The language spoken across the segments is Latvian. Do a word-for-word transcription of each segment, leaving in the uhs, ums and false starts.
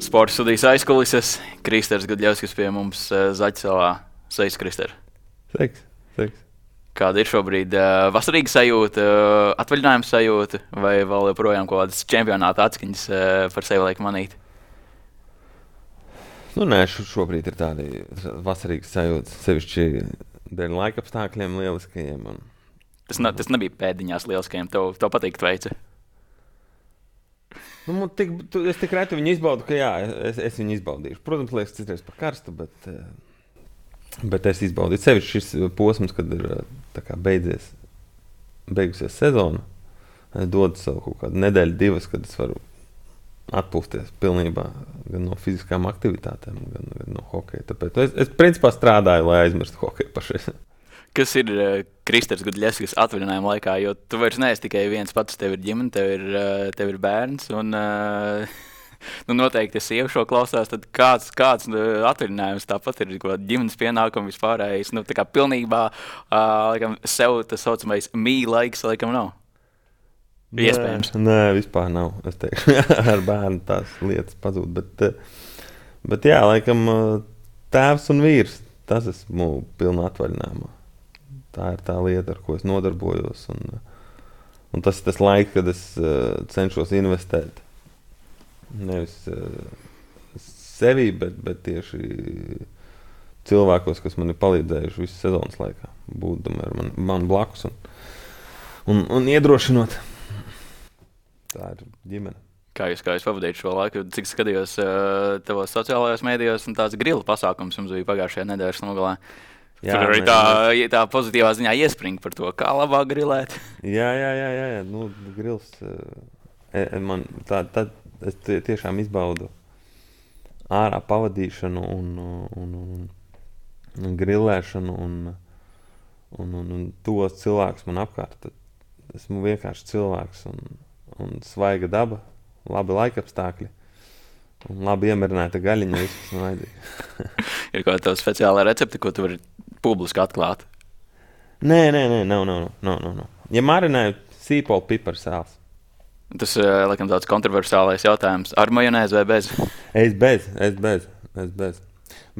Sporta studijas aizkulises. Kristers Gudļevskis pie mums uh, Zaķisalā. Sveiks, Krister. Sveiks, sveiks. Kāda ir šobrīd uh, vasarīga sajūta, uh, atvaļinājuma sajūta, vai vēl joprojām kaut kādas čempionāta atskaņas uh, par sevi liek manīt? Nu, nē, šobrīd ir tādi vasarīgi sajūta, sevišķi dēļ laika apstākļiem lieliskajiem. Un... Tas, ne, tas nebija pēdiņās lieliskajiem, tev, tev patīk tveica? Nu, tik, tu, es tik reti viņu izbaudu, ka jā, es, es viņu izbaudīšu. Protams, liekas, citreiz par karstu, bet, bet es izbaudīju. Sevišķi šis posms, kad ir tā kā beidzies, beigusies sezona, dod savu kaut kādu nedēļu, divas, kad es varu atpūsties pilnībā gan no fiziskām aktivitātēm, gan, gan no hokeja. Tāpēc es, es principā strādāju, lai aizmirstu hokeju pašreiz. Kas ir uh, Kristers Gudļevskis atvaļinājuma laikā? Jo tu vairs neesi tikai viens pats, tev ir ģimene, tev ir, uh, tev ir bērns. Un, uh, nu, noteikti, ja sieva šo klausās, tad kāds, kāds uh, atvaļinājums tāpat ir ģimenes pienākumi vispārējais. Nu, tā kā pilnībā uh, laikam, sev tas saucamais mīļa laiks laikam nav. Nē, iespējams. Nē, vispār nav. Es teikšu, ar bērnu tās lietas pazūd. Bet, bet jā, laikam tēvs un vīrs, tas esmu pilnā atvaļinājumā. Tā ir tā lieta, ar ko es nodarbojos. Un, un tas ir tas laiks, kad es uh, cenšos investēt. Nevis uh, sevī, bet, bet tieši cilvēkos, kas man ir palīdzējuši visu sezonas laikā. Būdami ar man, man blakus un, un, un iedrošinot. Tā ir ģimene. Kā jūs, kā jūs pavadījāt šo laiku? Cik skatījos uh, tavos sociālajos mēdījos, un tāds grila pasākums mums bija pagājušajā nedēļas nogalē. Jā, tur arī tā, tā pozitīvā ziņā iespring par to, kā labāk grilēt. Jā, jā, jā, jā, jā. Nu, grils, e, man tā, tā, es tiešām izbaudu ārā pavadīšanu un, un, un, un grilēšanu un, un, un, un tos cilvēkus man apkārt. Tad esmu vienkārši cilvēks un, un svaiga daba, labi laikapstākļi un labi iemirināta gaļiņa. Viss man vajadzīga. Ir kaut kāda speciāla recepte, ko tu vari publiski atklāt? Nē, nē, nē, nav, nav, nav, nav, nav. Ja marinēju sīpolu piparu sāls. Tas, laikam, tāds kontroversālais jautājums. Ar majonēzi vai bez? Es bez, es bez, es bez.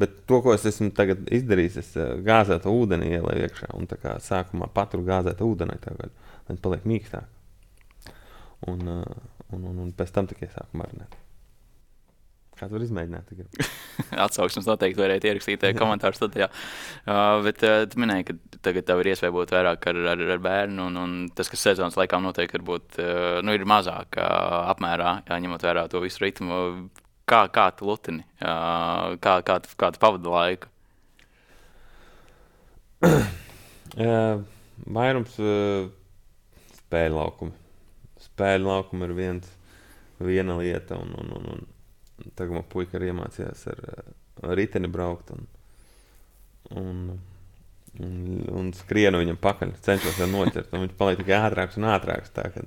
Bet to, ko es esmu tagad izdarījis, es gāzētu ūdeni ielēju iekšā un tā kā sākumā paturu gāzētu ūdenī tagad, lai paliek mīkstāk. Un, un, un, un pēc tam tikai sāku marinēt. Kāds var izmēģināt? Atsauksmes noteikti varētu ierakstīt komentāru studijā. Uh, bet uh, tu minēji, ka tagad tev ir iespēja būt vairāk ar, ar, ar bērnu, un, un tas, kas sezonas laikā noteikti varbūt, uh, nu, ir mazāk uh, apmērā, jā, ņemot vērā to visu ritmu. Kā, kā tu lutini? Uh, kā, kā, tu, kā tu pavadi laiku? uh, vairums uh, spēļu laukumi. Spēļu laukumi ir viens, viena lieta, un, un, un, un tagad man puika arī iemācījās ar, ar riteni braukt un, un, un, un skrienu viņam pakaļ. Cenšos viņu noķert, un viņš paliek tikai ātrāks un ātrāks. Tā, ka,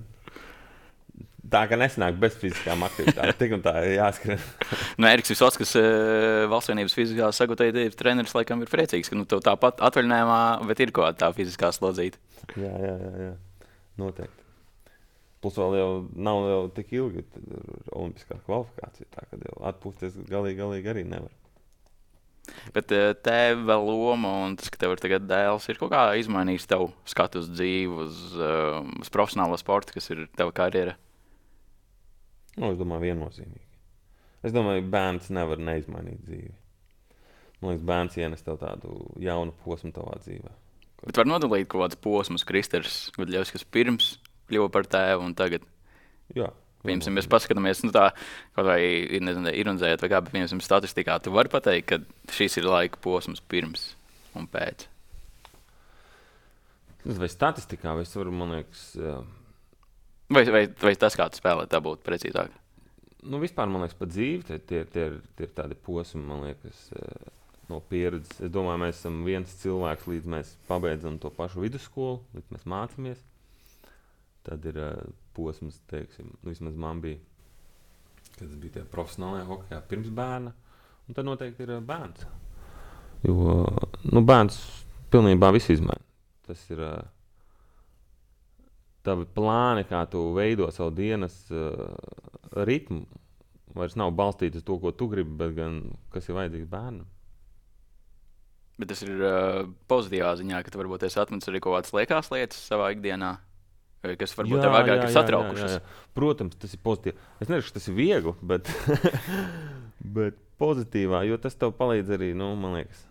tā ka nesanāk bez fiziskām aktivitātēm. Tik un tā ir jāskrien. Nu, Eriks Visockis, Valsts vienības fiziskās sagatavotības treneris, laikam ir priecīgs, ka nu, tev tāpat atvaļinājumā, bet ir kaut kāda tā fiziskā slodzīta. Jā, jā, jā, jā. Noteikti. Plus vēl jau nav jau tik ilgi olimpiskā kvalifikācija, tā ka jau atpūsties galīgi, galīgi arī nevar. Bet tev vēl loma un tas, ka tev ir tagad dēls, ir kaut kā izmainījis tev skatu uz dzīvi, uz, uz profesionālo sportu, kas ir tava karjera? Nu, es domāju, viennozīmīgi. Es domāju, bērns nevar neizmainīt dzīvi. Man liekas, bērns ienes tev tādu jaunu posmu tavā dzīvē. Bet var nodalīt kaut kāds posms Kristers Gudļevskis pirms kļuva par tēvu un tagad. Jā. Piemēram, mēs paskatāmies, nu tā, kaut vai, nezinu, ironizējot vai kā, bet, piemēram, statistikā tu vari pateikt, ka šis ir laika posms pirms un pēc. Vai statistikā, vai es varu, man liekas... Vai, vai, vai tas, kā tu spēlē, tā būtu precīzāk? Nu, vispār, man liekas, pa dzīvi, tie, tie, tie, tie ir tādi posmi, man liekas, no pieredzes. Es domāju, mēs esam viens cilvēks, līdz mēs pabeidzam to pašu vidusskolu, līdz mēs mācāmies. Tad ir uh, posms, teiksim, nu, vismaz man bija, kad es biju tajā profesionālajā hokejā pirms bērna, un tad noteikti ir uh, bērns. Jo, uh, nu, bērns pilnībā visu izmaina. Tas ir uh, tavi plāni, kā tu veido savu dienas uh, ritmu, vairs nav balstīts uz to, ko tu gribi, bet gan kas ir vajadzīgs bērnam. Bet tas ir uh, pozitīvā ziņā, ka tu varbūt esi atmetis arī kaut kādas liekās lietas savā ikdienā, kas varbūt tev agrāk ir satraukušas. Jā, jā. Protams, tas ir pozitīvi. Es nesaku, ka tas ir viegli, bet, bet pozitīvā, jo tas tev palīdz arī, nu, man liekas,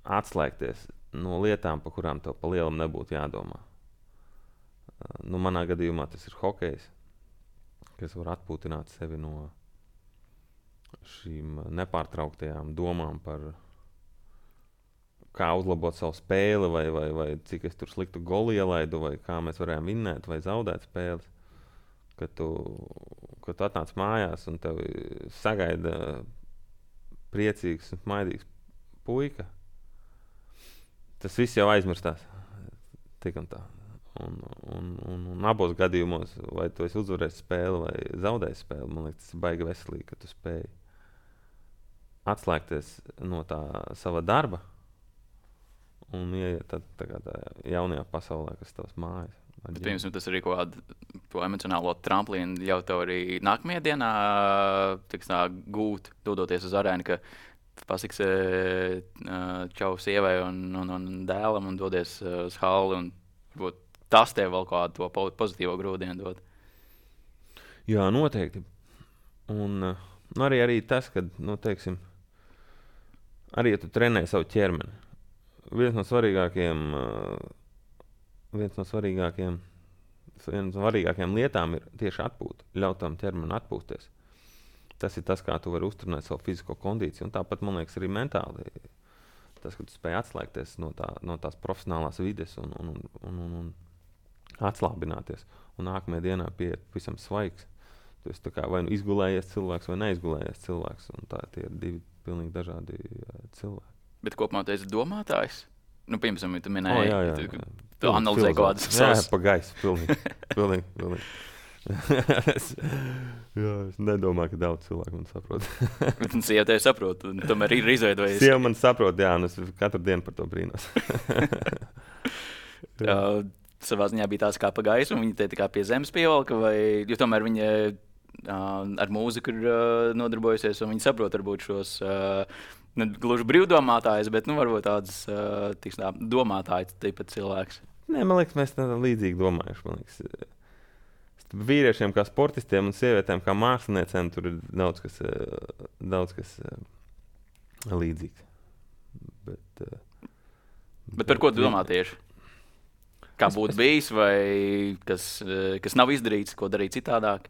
atslēgties no lietām, par kurām tev pa lielam nebūtu jādomā. Nu, manā gadījumā tas ir hokejs, kas var atpūtināt sevi no šīm nepārtrauktajām domām par kā uzlabot savu spēli, vai, vai, vai cik es tur sliktu golu ielaidu, vai kā mēs varējām vinnēt vai zaudēt spēles. Kad tu, kad tu atnāc mājās un tev sagaida priecīgs un smaidīgs puika, tas viss jau aizmirstās. Tik un tā. Un, un, un, un abos gadījumos, vai tu esi uzvarējis spēli vai zaudējis spēli, man liekas, tas ir baigi veselīgi, ka tu spēji atslēgties no tā sava darba un ieiet tad, tā kā tā jaunajā pasaulē, kas tavs mājas. Bet, piemēram, tas arī kaut kādu to emocionālo tramplīnu ļauj tev arī nākamajā dienā tiks, tā, gūt, dodoties uz arēnu, ka pasiks čau sievai un, un, un dēlam un dodies uz halli un varbūt tas tev vēl kādu to pozitīvo grūdienu dod. Jā, noteikti. Un nu, arī, arī tas, ka, nu, teiksim, arī ja tu trenē savu ķermeni, viens no svarīgākajiem, viens no svarīgākajiem, viens no svarīgākajām lietām ir tieši atpūta, ļaut tam ķermeni atpūsties. Tas ir tas, kā tu vari uzturnēt savu fizisko kondīciju, un tāpat, man liekas, arī mentāli. Tas, ka tu spēj atslēgties no, tā, no tās profesionālās vides un, un, un, un, un atslābināties, un nākamajā dienā pieiet visam svaigs. Tu esi tā kā vai nu izgulējies cilvēks vai neizgulējies cilvēks, un tā tie ir divi pilnīgi dažādi uh, cilvēki. Bet kopumā tu esi domātājs? Nu, piemēram, tu minēji, oh, jā, jā, jā. tu, tu analizē kaut kādas savas... Jā, pa gaisu, pilnīgi, pilnīgi, pilnīgi. es, jā, es nedomāju, ka daudz cilvēku man saprot. Bet un sieva tevi saprot, un tomēr ir izveidojis. Sieva man saprot, jā, un es katru dienu par to brīnos. uh, savā ziņā bija tāds kā pa gaisu, un viņa te tā kā pie zemes pievalka, vai, jo tomēr viņa uh, ar mūziku ir uh, nodarbojusies, un viņa saprot varbūt šos uh, ne gluži brīvdomātājus, bet, nu, varbūt tāds uh, tiks, tā, domātājs tāpat cilvēks. Nē, man liekas, mēs tā līdzīgi domājuši, man liekas. Vīriešiem kā sportistiem un sievietēm kā māksliniecēm tur ir daudz kas, daudz kas līdzīgs. Bet, bet, bet par ko tu domā tieši? Kā būtu bijis vai kas, kas nav izdarīts, ko darīt citādāk?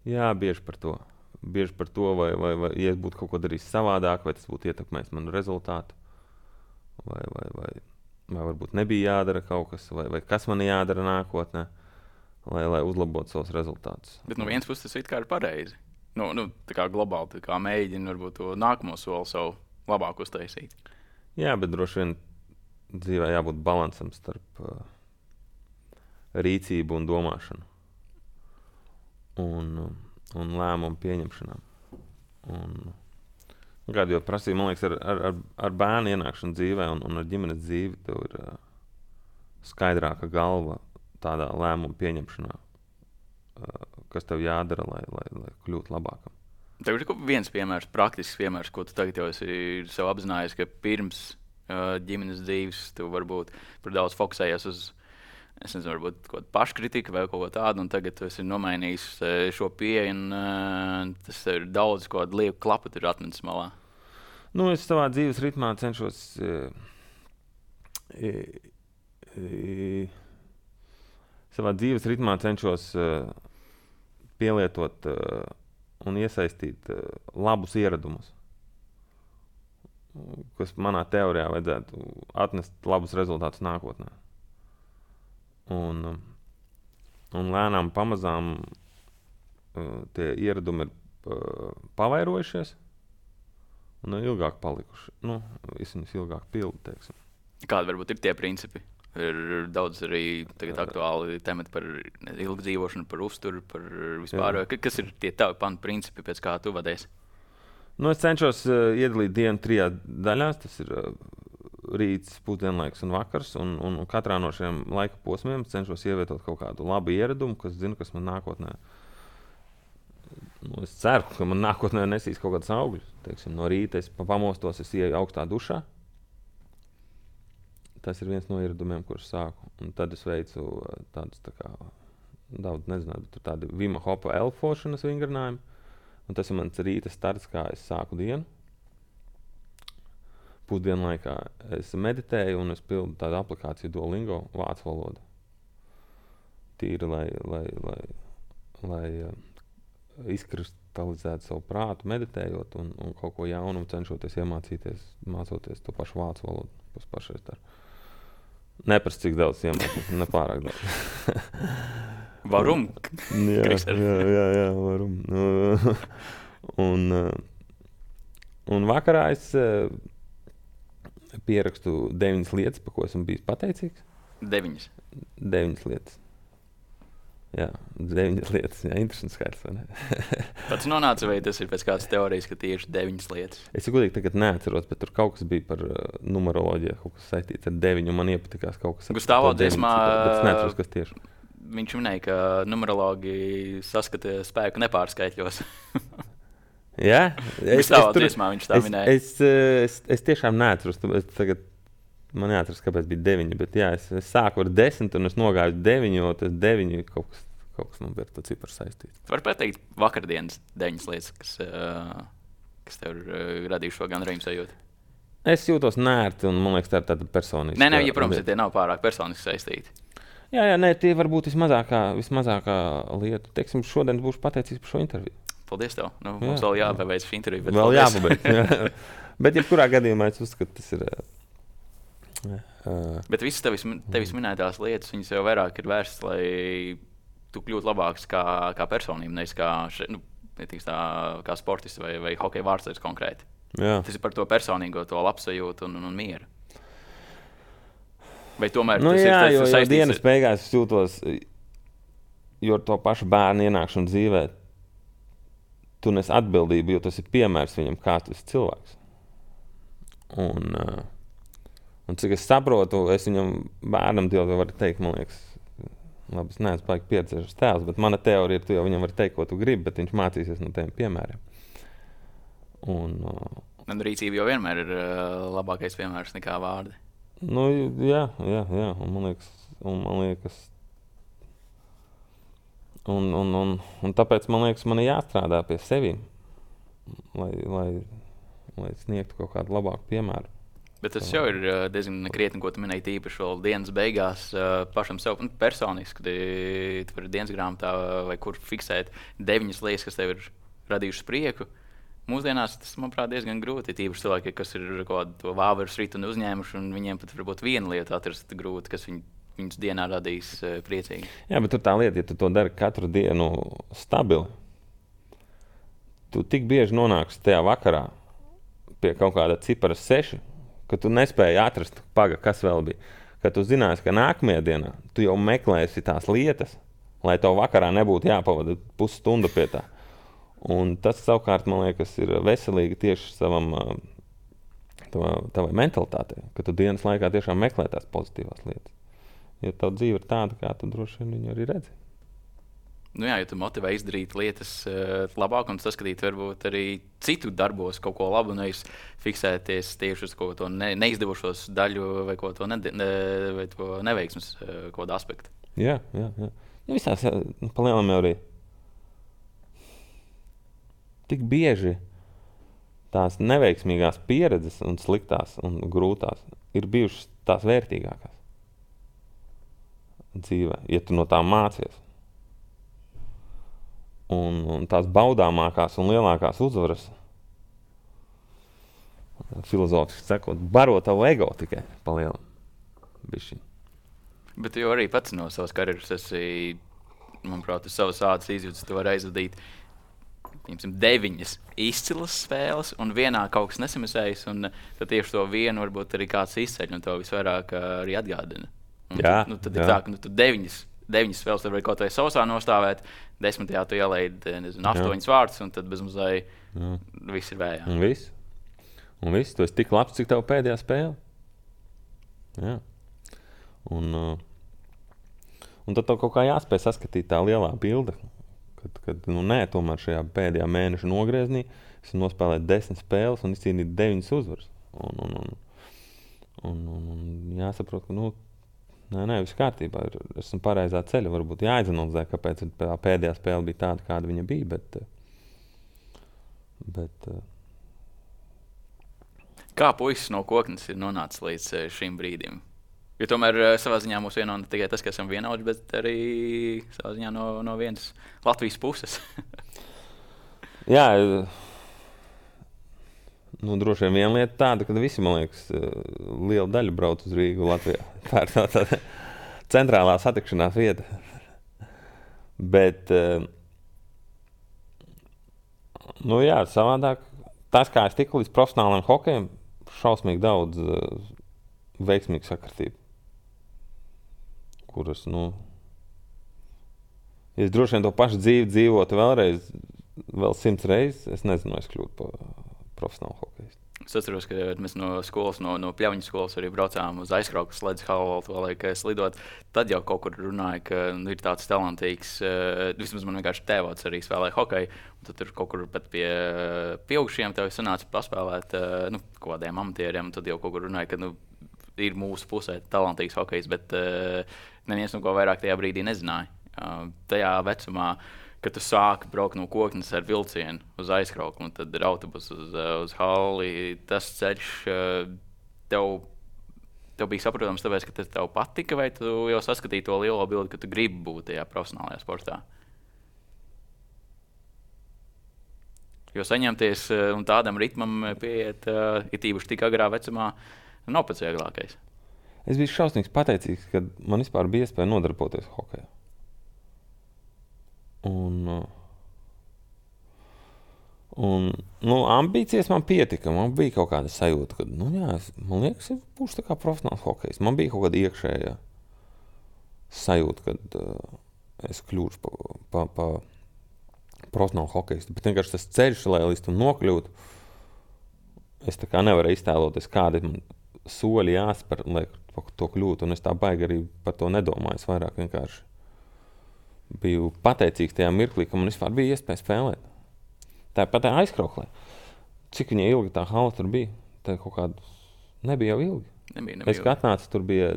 Jā, bieži par to. Bieži par to, vai, vai, vai ja es būtu kaut ko darījis savādāk, vai tas būtu ietekmējis manu rezultātu, vai, vai, vai, vai varbūt nebija jādara kaut kas, vai, vai kas man jādara nākotnē. Lai, lai uzlabotu savus rezultātus. Bet no vienas puses tas it kā ir pareizi. Nu, nu, tā kā globāli tā kā mēģina varbūt to nākamo soli savu labāk uztaisīt. Jā, bet droši vien dzīvē jābūt balansam starp uh, rīcību un domāšanu. Un, un lēmumu pieņemšanām. Un, kādu jau prasīja, man liekas, ar, ar, ar bērnu ienākšanu dzīvē un, un ar ģimenes dzīvi tev ir uh, skaidrāka galva tādā lēmuma pieņemšanā, kas tev jādara, lai, lai, lai kļūtu labākam. Tev ir viens piemērs, praktisks piemērs, ko tu tagad jau esi sev apzinājies, ka pirms uh, ģimenes dzīves tu varbūt par daudz fokusējies uz, es nezinu, varbūt kaut kādu paškritiku vai kaut ko tādu, un tagad tu esi nomainījis šo pieeju, un uh, tas ir daudz kaut kādu lieku klapu tur atmetis malā. Nu, es savā dzīves ritmā cenšos e, e, e, savā dzīves ritmā cenšos uh, pielietot uh, un iesaistīt uh, labus ieradumus, kas manā teorijā vajadzētu atnest labus rezultātus nākotnē. Un, un lēnām pamazām uh, tie ieradumi ir uh, pavairojušies un ilgāk palikuši. Nu, es viņus ilgāk pildu, teiksim. Kādi varbūt ir tie principi? Ir daudz arī tagad aktuāli temati par ilgu dzīvošanu, par uzturu, par vispār. Jā. Kas ir tie tavi pamatu principi, pēc kā tu vadies? Nu, es cenšos uh, iedalīt dienu trijās daļās. Tas ir uh, rīts, pusdienlaiks un vakars. Un, un katrā no šiem laika posmiem cenšos ievietot kaut kādu labu ieradumu, kas zinu, kas man nākotnē Nu, es ceru, ka man nākotnē nesīs kaut kādas augļus. Teiksim, no rīta es pamostos, es ieju augstā dušā. Tas ir viens no ieradumiem, kurus sāku. Un tad es veicu tādus, tā kā, daudz nezināju, bet tādi Vima Hopa elfošanas vingrinājumi. Un tas ir mans rīta starts, kā es sāku dienu. Pusdienu laikā es meditēju un es pildu tādu aplikāciju Duolingo vācu valodu. Tīri, lai, lai, lai, lai uh, izkristalizētu savu prātu, meditējot un, un kaut ko jaunu cenšoties iemācīties, mācoties to pašu vācu valodu. Tas pašais dar. Neprast, cik daudz iemācīt, nepārāk daudz. Varum? jā, jā, jā, jā, varum. un, un vakarā es pierakstu deviņas lietas, par ko esmu bijis pateicīgs. Deviņas? Deviņas lietas. Jā, deviņas lietas. Jā, interesants skaits, vai ne? Pats nonāca, vai tas ir pēc kādas teorijas, ka tieši deviņas lietas? Es godīgi tagad neatceros, bet tur kaut kas bija par uh, numeroloģiju, kaut kas saistīts ar deviņu, un man iepatikās kaut kas ar Gustavo dziesmā, bet es neatceros, kas tieši. Viņš minēja, ka numerologi saskata spēku nepārskaitļos. Jā, es, es, tur, dziesmā, viņš tā es, minēja. Es, es, es, es tiešām neatceros, es tagad man neatceros, kāpēc bija deviņi, bet jā, es, es sāku ar desmit un es nogāju deviņi, jo tas deviņi kaut kas, kaut kas man bija ar to ciparu saistīts. Var pateikt vakardienas deviņas lietas, kas, uh, kas tev ir uh, radījuši šo gandarījumu sajūtu? Es jūtos nērti un man liekas tā ir tāda personiska. Nē, nē, ja, protams, ja tie nav pārāk personiski saistīti. Jā, jā, nē, tie var būt vismazākā, vismazākā lieta. Teiksim, šodien būšu pateicīgs par šo interviju. Paldies tev. Nu, mums jā, vēl jāpabeidz šī intervija. Vēl paldies. Jāpabeidz. Jā. Bet jebkurā gadījumā es uzskatu, tas ir... Uh, Bet visas tevis, tevis minētās lietas, viņas jau vairāk ir vērstas, lai tu kļūtu labāks kā, kā personība, nevis kā, še, nu, tā, kā sportists vai, vai hokeja vārdsargs konkrēti. Jā. Tas ir par to personīgo, to labsajūtu un, un, un mieru. Vai tomēr nu, tas jā, ir tas jo, jo dienas beigās es jūtos, jo ar to pašu bērnu ienākšanu dzīvē, tu nes atbildību, jo tas ir piemērs viņam, kā tu esi cilvēks. Un, uh, un cik es saprotu, es viņam bērnam jau varu teikt, man liekas, labi, es neesmu baigi pieredzējušas tēvs, bet mana teorija ir, tu jau viņam vari teikt, ko tu gribi, bet viņš mācīsies no tiem piemēriem. Un, uh, un rīcība jau vienmēr ir uh, labākais piemērs nekā vārdi. Nu, jā, jā, jā, un man liekas, un man liekas, un, un, un, un tāpēc man liekas, man ir jāstrādā pie sevīm, lai, lai, lai sniegtu kaut kādu labāku piemēru. Bet tas jau ir uh, diezgan krietni, ko tu minēji tīpaši vēl dienas beigās uh, pašam sev un personiski, kad tu vari dienas grāmatā vai kur fiksēt deviņas lietas, kas tev ir radījušas prieku. Mūsdienās tas, manuprāt, diezgan grūti. Tīpaši cilvēki, kas ir kaut kādu vāveru riteni uzņēmuši, un viņiem pat varbūt viena lieta atrast grūti, kas viņu, viņus dienā radīs uh, priecīgi. Jā, bet tur tā lieta, ja tu to dari katru dienu stabili, tu tik bieži nonāksi tajā vakarā pie kaut kāda cipara seši, ka tu nespēji atrast, paga, kas vēl bija. Kad tu zināsi, ka nākamajā dienā tu jau meklēsi tās lietas, lai tev vakarā nebūtu jāpavada pusstundu pie tā. Un tas savukārt, man liekas, ir veselīgi tieši savam, tavā, tavai mentalitātei, ka tu dienas laikā tiešām meklē tās pozitīvās lietas. Ja tava dzīve ir tāda, kā tu droši vien viņu arī redzi. Nu jā, ja tu motivē izdarīt lietas uh, labāk un saskatīt varbūt arī citu darbos kaut ko labu, nevis fiksēties tieši uz kaut to ne, neizdevušos daļu vai kaut to, ne, ne, vai to neveiksmes uh, kaut kādu aspektu. Jā, jā, jā. Nu, visās, nu, palielam jau arī tik bieži tās neveiksmīgās pieredzes un sliktās un grūtās ir bijušas tās vērtīgākās dzīvē, ja tu no tām mācies. Un, un tās baudāmākās un lielākās uzvaras, filozofiski sakot, baro tavu ego tikai palielam. Bišķiņ. Bet tu jau arī pats no savas karjeras esi, manuprāt, uz savas ādas izjūtas, tu vari aizvadīt deviņas izcilas spēles, un vienā kaut kas nesamesējas, un tad tieši to vienu varbūt arī kāds izceļ, un to visvairāk arī atgādina. Un jā, tu, nu, tad jā. ir tā, ka nu, tu deviņas, deviņas spēles tad vari kaut vai sausā nostāvēt, desmitajā tu ielaidi, nezinu, astoņas vārtus, un tad bezmazai viss ir vējā. Un viss. Un viss, tu esi tik labs, cik tev pēdējā spēle. Jā. Un, uh, un tad tev kaut kā jāspēj saskatīt tā lielā bilde, ka kad, kad nu, nē, tomēr šajā pēdējā mēneša nogrieznī es nospēlēju desmit spēles un izcīnīju deviņas uzvaras. Un, un, un, un, un, un jāsaprot, ka nu, nē, nē, viss kārtībā. Ir, esmu pareizā ceļa. Varbūt jāizanalizē, kāpēc pēdējā spēle bija tāda, kāda viņa bija. Bet, bet, Kā puisis no Koknes ir nonācis līdz šim brīdim? Jo tomēr savā ziņā mūs vieno ne tikai tas, ka esam vienaudži, bet arī savā ziņā no, no vienas Latvijas puses. Jā, nu, droši vien viena lieta tāda, ka visi, man liekas, liela daļa brauc uz Rīgu Latvijā. Tā ir tā, tā centrālā satikšanās vieta. Bet, nu jā, savādāk, tas, kā es tiku līdz profesionālajiem hokejam, šausmīgi daudz uh, veiksmīgu sakritību, kuras, nu, ja es droši vien to pašu dzīvi dzīvotu vēlreiz, vēl simts reizes, es nezinu, es kļūtu par profesionālu hokejistu. Es atceros, ka mēs no skolas, no, no Pļaviņu skolas arī braucām uz aizkrauku sledzi halu, to laiku slidot. Tad jau kaut kur runāja, ka nu, ir tāds talantīgs, uh, vismaz man vienkārši tēvots arī spēlēja hokeju, un tad tur kaut kur pat pie pieaugušiem tev sanāca paspēlēt uh, nu, kaut kādiem amatieriem, un tad jau kaut kur runāja, ka nu, ir mūsu pusē talantīgs hokejs, bet uh, neviens no ko vairāk tajā brīdī nezināja. Uh, tajā vecumā, kad tu sāki braukt no Koknes ar vilcienu uz aizkrauku, un tad ir autobus uz, uz halli, tas ceļš tev, tev bija saprotams, tāpēc, ka tas tev patika, vai tu jau saskatīji to lielo bildi, ka tu gribi būt tajā profesionālajā sportā? Jo saņemties un tādam ritmam pieiet, ir tīpaši tik agrā vecumā, nav pats vieglākais. Es biju šausmīgs pateicīgs, kad man vispār bija iespēja nodarboties hokejā. Un, un nu, ambīcijas man pietika. Man bija kaut kāda sajūta, ka, nu jā, es, man liekas, es būšu tā kā profesionāls hokejs. Man bija kaut kāda iekšējā sajūta, kad uh, es kļūšu pa, pa, pa profesionālu hokejistu. Bet vienkārši tas ceļš, lai līdz tam nokļūtu, es tā kā nevaru iztēloties, kādi man soļi jāspēr, lai to kļūtu. Un es tā baigi arī par to nedomāju. Es vairāk vienkārši biju pateicīgs tajā mirklī, ka man vispār bija iespēja spēlēt. Tāpat tā aizkrauklē. Cik viņa ilgi tā hala tur bija? Tā kaut kādu nebija jau ilgi. Nebija, nebija es kā atnācu, tur bija,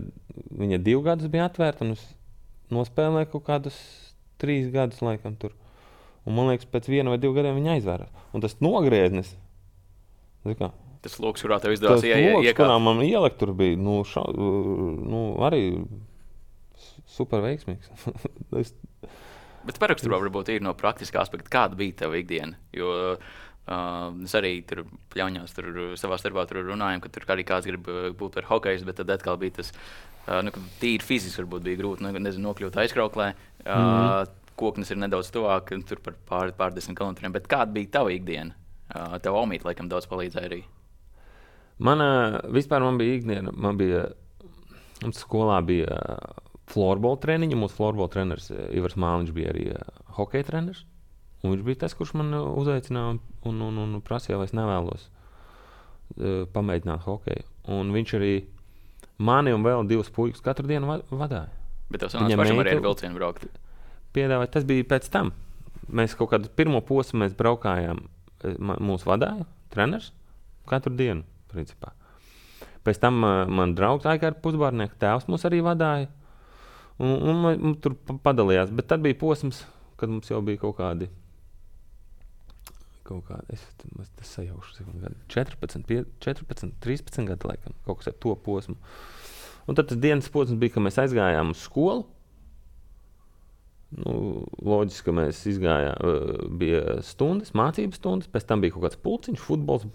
viņa divu gadus bija atvērta, un es nospēlēju kaut kādus trīs gadus laikam tur. Un man liekas, pēc viena vai divu gadiem viņa aizvērās. Un tas nogrieznis, kā, tas loks, kurā tev izdevās iekāpt. Tas loks, kurā man ielikt tur bija, nu, ša, nu arī super veiksmīgs. es... Bet paraksturā varbūt ir no praktiskā aspekta, kāda bija tava ikdiena. Jo uh, es arī tur Pļaviņos tur savā starpā tur runājām, ka tur arī kāds grib būt par hokejs, bet tad atkal bija tas, uh, nu, ka tīri fiziski varbūt bija grūti, nu, nezinu, nokļūt aizkrauklē. Uh, mm. Koknes ir nedaudz tuvāk, tur par pār, pārdesmit kilometriem. Bet kāda bija tava ikdiena? Uh, tev Omīte laikam daudz palīdzēja arī. Mana, vispār man bija ikdiena, man bija, mums skolā bija florbola treniņi, mūsu florbola treneris Ivars Māliņš bija arī hokeja treneris, un viņš bija tas, kurš man uzaicināja un, un, un, un prasīja, vai es nevēlos uh, pamēģināt hokeju. Un viņš arī mani un vēl divus puikas katru dienu va- vadāja. Bet tev sanāca pašam arī ar vilcienu braukt? Piedāvāja, tas bija pēc tam. Mēs kaut kādu pirmo posmu mēs braukājām, mūsu vadāja treneris katru dienu, principā. Pēc tam uh, man draugs Aikāra Pusbārnieka tēvs mūs arī vadāja. Un, un, un, un tur padalījās, bet tad bija posms, kad mums jau bija kaut kādi, kaut kādi, es, es, es sajaušu, četrpadsmit, četrpadsmit, trīspadsmit gadi laikam, kaut kas ar to posmu. Un tad tas dienas posms bija, ka mēs aizgājām uz skolu. Nu, loģiski, ka mēs izgājām, bija stundas, mācības stundas, pēc tam bija kaut kāds pulciņš, futbols,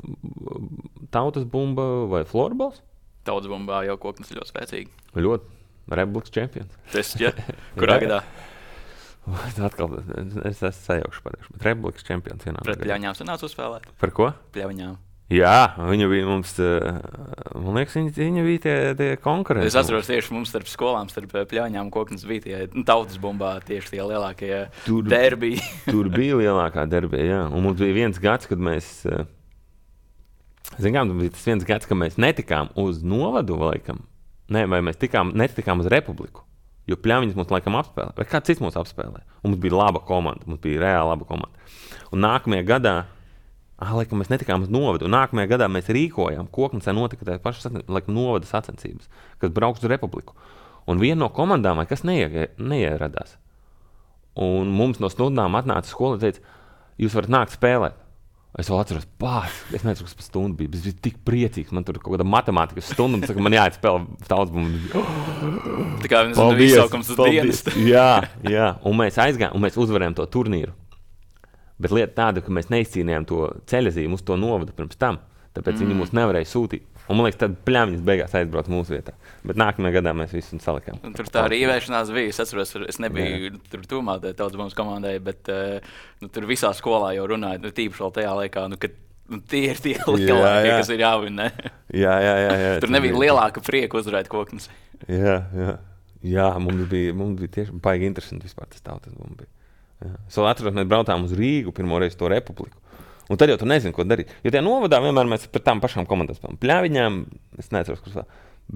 tautas bumba vai florbols. Tautas bumbā jau Koknes ļoti spēcīgi. Ļoti. Republikas čempions. Tas, ja? Kurā gadā? Atkal, es esmu sajaukšu pateikšu, bet Republikas čempions vienā. Pret Pļaviņām sanāca uzspēlēt? Par ko? Pļaviņām. Jā, viņa bija mums, man liekas, viņa, viņa bija tie, tie konkurenti. Es atceros tieši mums starp skolām, starp Pļaviņām Koknes bija tie nu, tautas bumbā tieši tie lielākie tur, derbiji. Tur bija lielākā derbija, jā. Un mums bija viens gads, kad mēs, zinām, bija tas viens gads, kad mēs netikām uz novadu laikam. Nē, vai mēs tikām, netikām uz Republiku. Jo pļāviņas mums laikam apspēlē, vai kāds cits mūs apspēlē. Un mums bija laba komanda, mums bija reāli laba komanda. Un nākamajā gadā, ah, laikam mēs netikām uz novadu, un nākamajā gadā mēs rīkojām, Koknesē notika tā paša laikam novada sacensības, kas brauks uz Republiku. Un viena no komandām, kas neie, neieradās. Un mums no stundām atnāca skola un teica, jūs varat nākt spēlēt. Es vēl atceros, pār, es nezinu, kas par stundu bija, bet es biju tik priecīgs, man tur kaut kāda matemātikas stunda, un saka, man jāiet spēlē tautsbumu. Tā kā viens no izsaukums uz dienas. Jā, jā, un mēs aizgājām, un mēs uzvarējām to turnīru. Bet lieta tāda, ka mēs neizcīnījām to ceļazīmu uz to novadu pirms tam, tāpēc mm. viņi mūs nevarēja sūtīt. Un man liekas, tad pļāviņas beigās aizbrauc mūsu vietā. Bet nākamajā gadā mēs visu salikām. Un tur tā rīvēšanās bija. Es atceros, es nebiju jā. Tur tūmā tautsbumas komandai, bet nu, tur visā skolā jau runāja, nu, tīpaši vēl tajā laikā, nu, ka nu, tie ir tie lielākie, kas ir jāvina. Jā, jā, jā, jā. Tur nebija bija. Lielāka prieka uzvarēt Koknesi. Jā, jā. Jā, mums bija, mums bija tieši baigi interesanti vispār tas tautsbums bija. Jā. Es vēl atceros, mēs braucām uz Rīgu pirmo reizi to Republiku. Un tad jau tu nezini, ko darīt. Jo tajā novadā vienmēr mēs par tām pašām komandām spēlējām. Pļāviņām, es neatceros, kas vēl.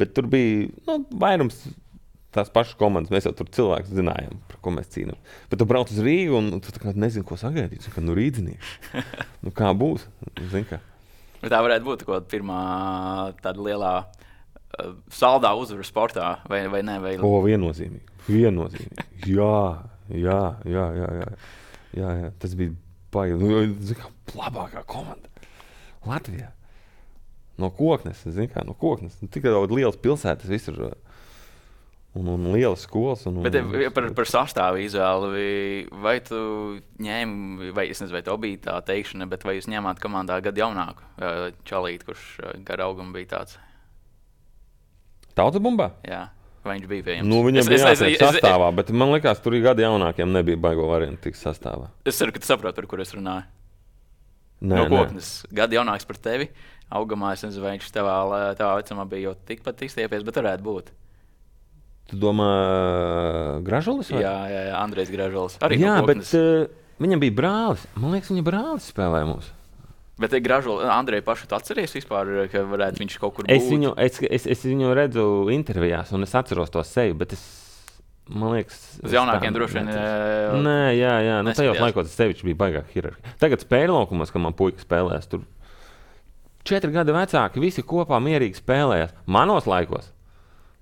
Bet tur bija, nu, vairums tās pašas komandas. Mēs jau tur cilvēkus zinājām, par ko mēs cīnām. Bet tu brauc uz Rīgu un tu tā kā nezini, ko sagaidīt. Tu kā, nu, rīdzinieki. Nu, kā būs? Zini kā. Bet tā varētu būt kaut pirmā tāda lielā uh, saldā uzvara sportā, vai, vai ne? Vai... O, viennozīmīgi. Viennozīmīgi. Jā, jā, jā, jā, jā. Jā, jā. Tas bija baigi. Nu, zini kā, labākā komanda Latvijā. No Koknes, zini kā, no Koknes. Tik daudz lielas pilsētas visur. Un, un lielas skolas. Un, un, Bet par, par sastāvu izvēli, vai tu ņēmi, vai es nezinu, vai to bija tā teikšana, bet vai jūs ņēmāt komandā gadu jaunāku čalīt, kurš gar augumu bija tāds? Tautsbumbā? Jā. Vai viņš bija pie jums? Nu, viņam es, bija es, jātiek sastāvā, bet man liekas, tur gadi jaunākiem nebija baigo variantu tikt sastāvā. Es ceru, ka tu saproti, par kur es runāju. Nē, no Koknes. Gadi jaunāks par tevi. Augamā es nezinu, vai viņš tavā, tavā vecumā bija jau tikpat izstiepies, bet varētu būt. Tu domā Gražulis? Vai? Jā, jā, jā, Andrejs Gražulis. Arī jā, no bet uh, viņam bija brālis. Man liekas, viņa brālis spēlēja mums. Bet Gražulis, Andreju pašu tu atceries vispār, ka varētu viņš kaut kur būt? Es viņu, es, es, es viņu redzu intervijās un es atceros to seju, bet es, man liekas... Uz jaunākiem droši vien... Nē, jā, jā, nu tajos laikos tas sevišķi bija baigāk hierarhija. Tagad spēļu laukumos, kad man puika spēlēs, tur četri gadi vecāki, visi kopā mierīgi spēlējās. Manos laikos.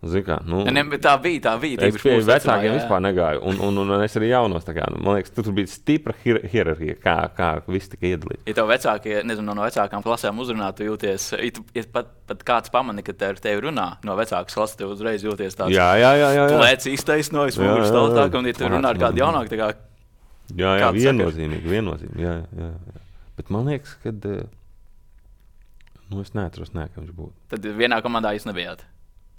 Kā, nu, ne, bet tā bija, tā bija. Es pie vecākiem vispār negāju, un, un, un es arī jaunos. Kā, man liekas, tur bija stipra hier hierarhija, kā, kā viss tika iedalīts. Ja tev vecākie, nezinu, no vecākām klasēm uzrunā, tu jūties, ja, tu, ja pat, pat kāds pamani, ka te ar tevi runā no vecākas klases, tev uzreiz jūties tāds. Jā, jā, jā. jā, jā. Lēc iztaisnojas, mūžs tautāk, un ja tu runā ar kādu jaunāku, tā kā... Jā, jā, viennozīmīgi, viennozīmīgi, jā, jā, jā. Bet man liekas, kad... Nu, es neatceros, ne, ka viņš būtu. Tad vienā komandā jūs nebijāt?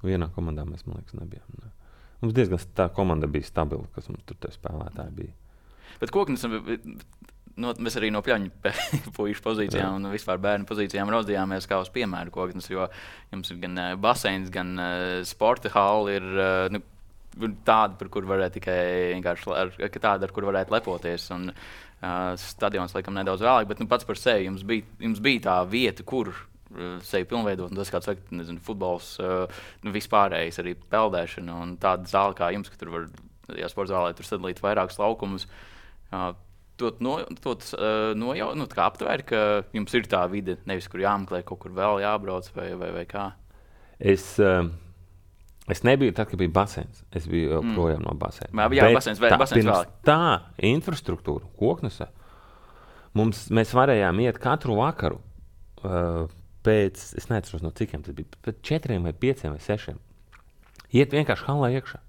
Vienā komandā mēs, man liekas, nebijām. Ne. Mums diezgan tā komanda bija stabila, kas mums tur spēlētāji bija. Bet Koknes, no, mēs arī no pļaņu puišu pozīcijām Jā. Un vispār bērnu pozīcijām raudzījāmies kā uz piemēru Koknes, jo jums ir gan baseins, gan sporta halli ir nu, tāda, par kur varētu tikai vienkārši, ar, tāda, ar kur varētu lepoties. Un uh, stadions laikam nedaudz vēlāk, bet nu, pats par sevi jums bija, jums bija tā vieta, kur sevi pilnveidot, un tas, kāds saka, nezinu, futbols, nu, vispārējais arī peldēšana, un tāda zāle kā jums, ka tur var, ja sporta zālē, tur sadalīt vairākus laukumus, to no, nojau, nu, tā kā aptvēr, ka jums ir tā vide, nevis, kur jāmeklē, kaut kur vēl jābrauc, vai, vai, vai kā? Es, es nebiju tad, kad bija baseins. Es biju mm. projām no baseina. Jā, bet baseins, vai, tā, baseins vēl. Tā infrastruktūra, Koknesē, mums, mēs varējām iet katru vakaru, uh, pēc, es neatceros no cikiem, tas bija pēc četriem vai pieciem vai sešiem. Iet vienkārši halā iekšā.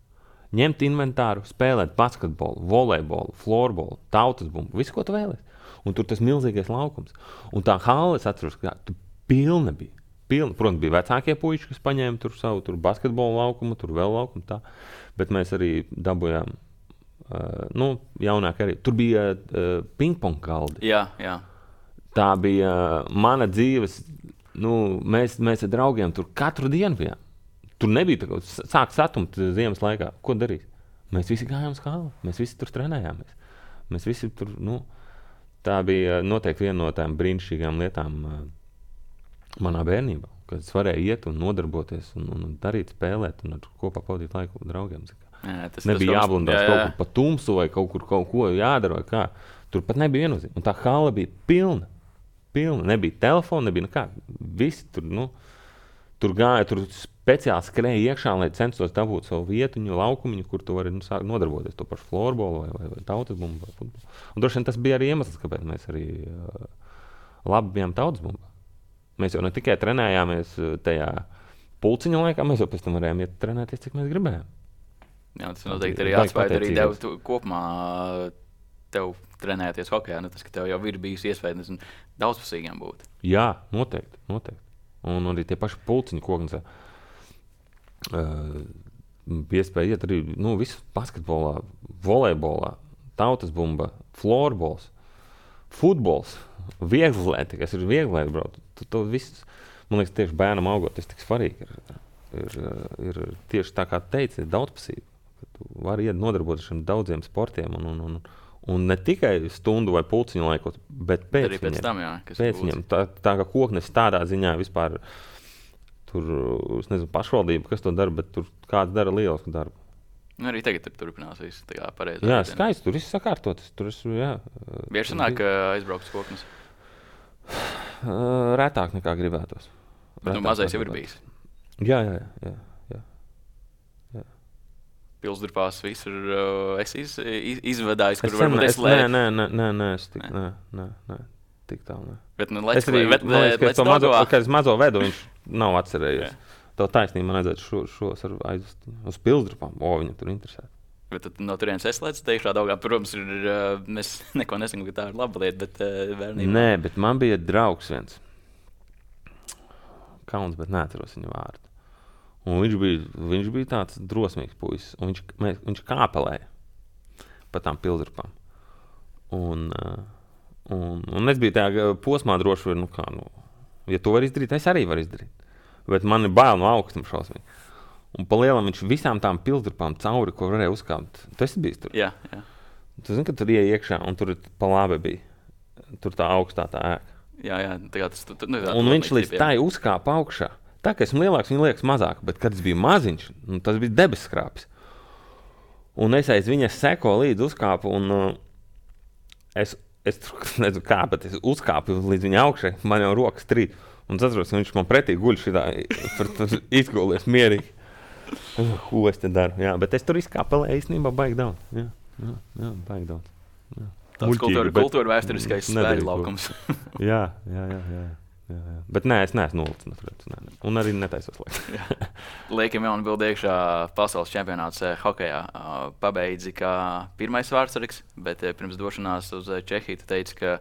Ņemt inventāru, spēlēt basketbolu, volejbolu, florbolu, tautasbumbu, visu, ko tu vēlies. Un tur tas milzīgais laukums. Un tā hala, es atceros, ka tu pilna bija. Pilna. Protams, bija vecākie puiši, kas paņēma tur savu tur basketbolu laukumu, tur vēl laukumu tā. Bet mēs arī dabujām, uh, nu, jaunāk arī. Tur bija uh, pingpong galdi. Jā, jā. Tā bija uh, mana dzīves... Nu, mēs, mēs ar draugiem tur katru dienu bijām. Tur nebija tā, ka sāk satumt ziemas laikā. Ko darīt? Mēs visi gājām uz halu. Mēs visi tur trenējāmies. Mēs visi tur, nu, tā bija noteikti viena no tām brīnišķīgām lietām uh, manā bērnībā, kad es varēju iet un nodarboties un, un darīt, spēlēt un kopā pavadīt laiku draugiem. Jā, tas, nebija tas jāblundās jā, jā. kaut kur pa tumsu vai kaut kur kaut ko jādara vai kā. Tur pat nebija viennozīme. Un tā hala bija pilna. Pilna. Nebija telefona, nebija nekā. Visi tur, nu, tur gāja, tur speciāli skrēja iekšā, lai censtos dabūt savu vietuņu, laukumiņu, kur tu vari nu, sākt nodarboties to pašu florbolu vai, vai, vai tautas bumbu vai futbolu. Un droši vien tas bija arī iemesls, kāpēc mēs arī uh, labi bijām tautas bumbā. Mēs jau ne tikai trenējāmies tajā pulciņa laikā, mēs jau pēc tam varējām iet trenēties, cik mēs gribējām. Jā, tas noteikti arī atspēja arī tev tu, kopumā tev trenēties hokejā, nu tas, ka tev jau ir bijis iespējas daudzpusīgiem būt. Jā, noteikti, noteikti. Un arī tie paši pulciņi koknesē. Uh, iespēja iet arī, nu, visu basketbolā, volejbolā, tautas bumba, florbols, futbols, vieglēti, kas ir vieglēti, bro. Tu, tu viss, man liekas, tieši bērnam augot, tas tik svarīgi ir, ir, ir tieši tā kā teici, ir daudzpusība. Tu vari iet nodarboties šiem daudziem sportiem un, un, un, un ne tikai stundu vai pulciņu laikot, bet pēc arī pēc viņiem. tam, jā, kas Pēc viņiem. Tā, tā kā koknes tādā ziņā vispār tur, es nezinu, pašvaldība, kas to dara, bet tur kāds dara lielisku darbu. Nu, arī tagad tur turpinās viss tā kā pareizi. Jā, skaisti, tur viss sakārtotas. Tur es, jā. Bieži sanāk, ka aizbrauks koknes? Retāk nekā gribētos. Bet nu mazais jau ir bijis. Jā, jā, jā. jā, jā. Pilsdurpās visur uh, es iz, iz, izvadājis, Es kur sen, varbūt es, es lēju. nē, nē, nē, nē, es tik, nē, nē, nē, tik tālu, nē. Bet, nu, Es let's, arī, bet, man liekas, ka es to mazo, Daugavā. kad es mazo vedu, viņš nav atcerējies. Jā. Tev taisnība, man vajadzētu šo, šos ar aizvest uz Pilsdrupām. O, viņam tur interesē. Bet tad no turienes es lēcu teikšā Daugavā. Protams, ir, uh, mēs neko nesakām, ka tā ir laba lieta, bet uh, bērnībā. Nē, bet man bija draugs viens. Kauns, bet neatceros viņa vārdu. Un viņš bija, viņš bija tāds drosmīgs puisis. Un viņš, mēs, viņš kāpelēja pa tām Pilsdrupām. Un, uh, un, un es biju tajā posmā droši, nu kā, nu, ja to var izdarīt, es arī varu izdarīt. Bet man ir bail no augstuma šausmīgi. Un pa lielam viņš visām tām Pilsdrupām cauri, ko varēja uzkāpt. Tu esi bijis tur? Jā, jā. Tu zini, ka tur ieej iekšā un tur pa labi bija. Tur tā augstā tā ēka. Jā, jā, tā kā tas tu, tu, nu, tā, Un viņš līdz tai uzkāpa augšā. Tā kā esmu lielāks, viņa liekas mazāk, bet kad es biju maziņš, nu, tas bija debesskrāpis. Un es aiz viņas seko līdz uzkāpu un uh, es, es tur nezinu kā, bet es uzkāpu līdz viņa augšai, man jau rokas trīt. Un es atceros, ka viņš man pretī guļ šitā, izgulies mierīgi. Ko es te daru? Jā, bet es tur izkāpelēju īstenībā baigi daudz. Jā, jā, jā baigi daudz. Jā. tāds Muļķīgi, kultūra, bet kultūra vēsturiskais nedarīju spēļu to. laukums. Jā, jā, jā, jā, jā, jā. Bet nē, es neesmu nolicis no turienes, nē, nē. Un arī netaisos laikam. Liekam jaunu bildi iekšā pasaules čempionāts eh, hokejā. Uh, pabeidzi kā pirmais vārdsargs, bet eh, pirms došanās uz eh, Čehiju tu teici, ka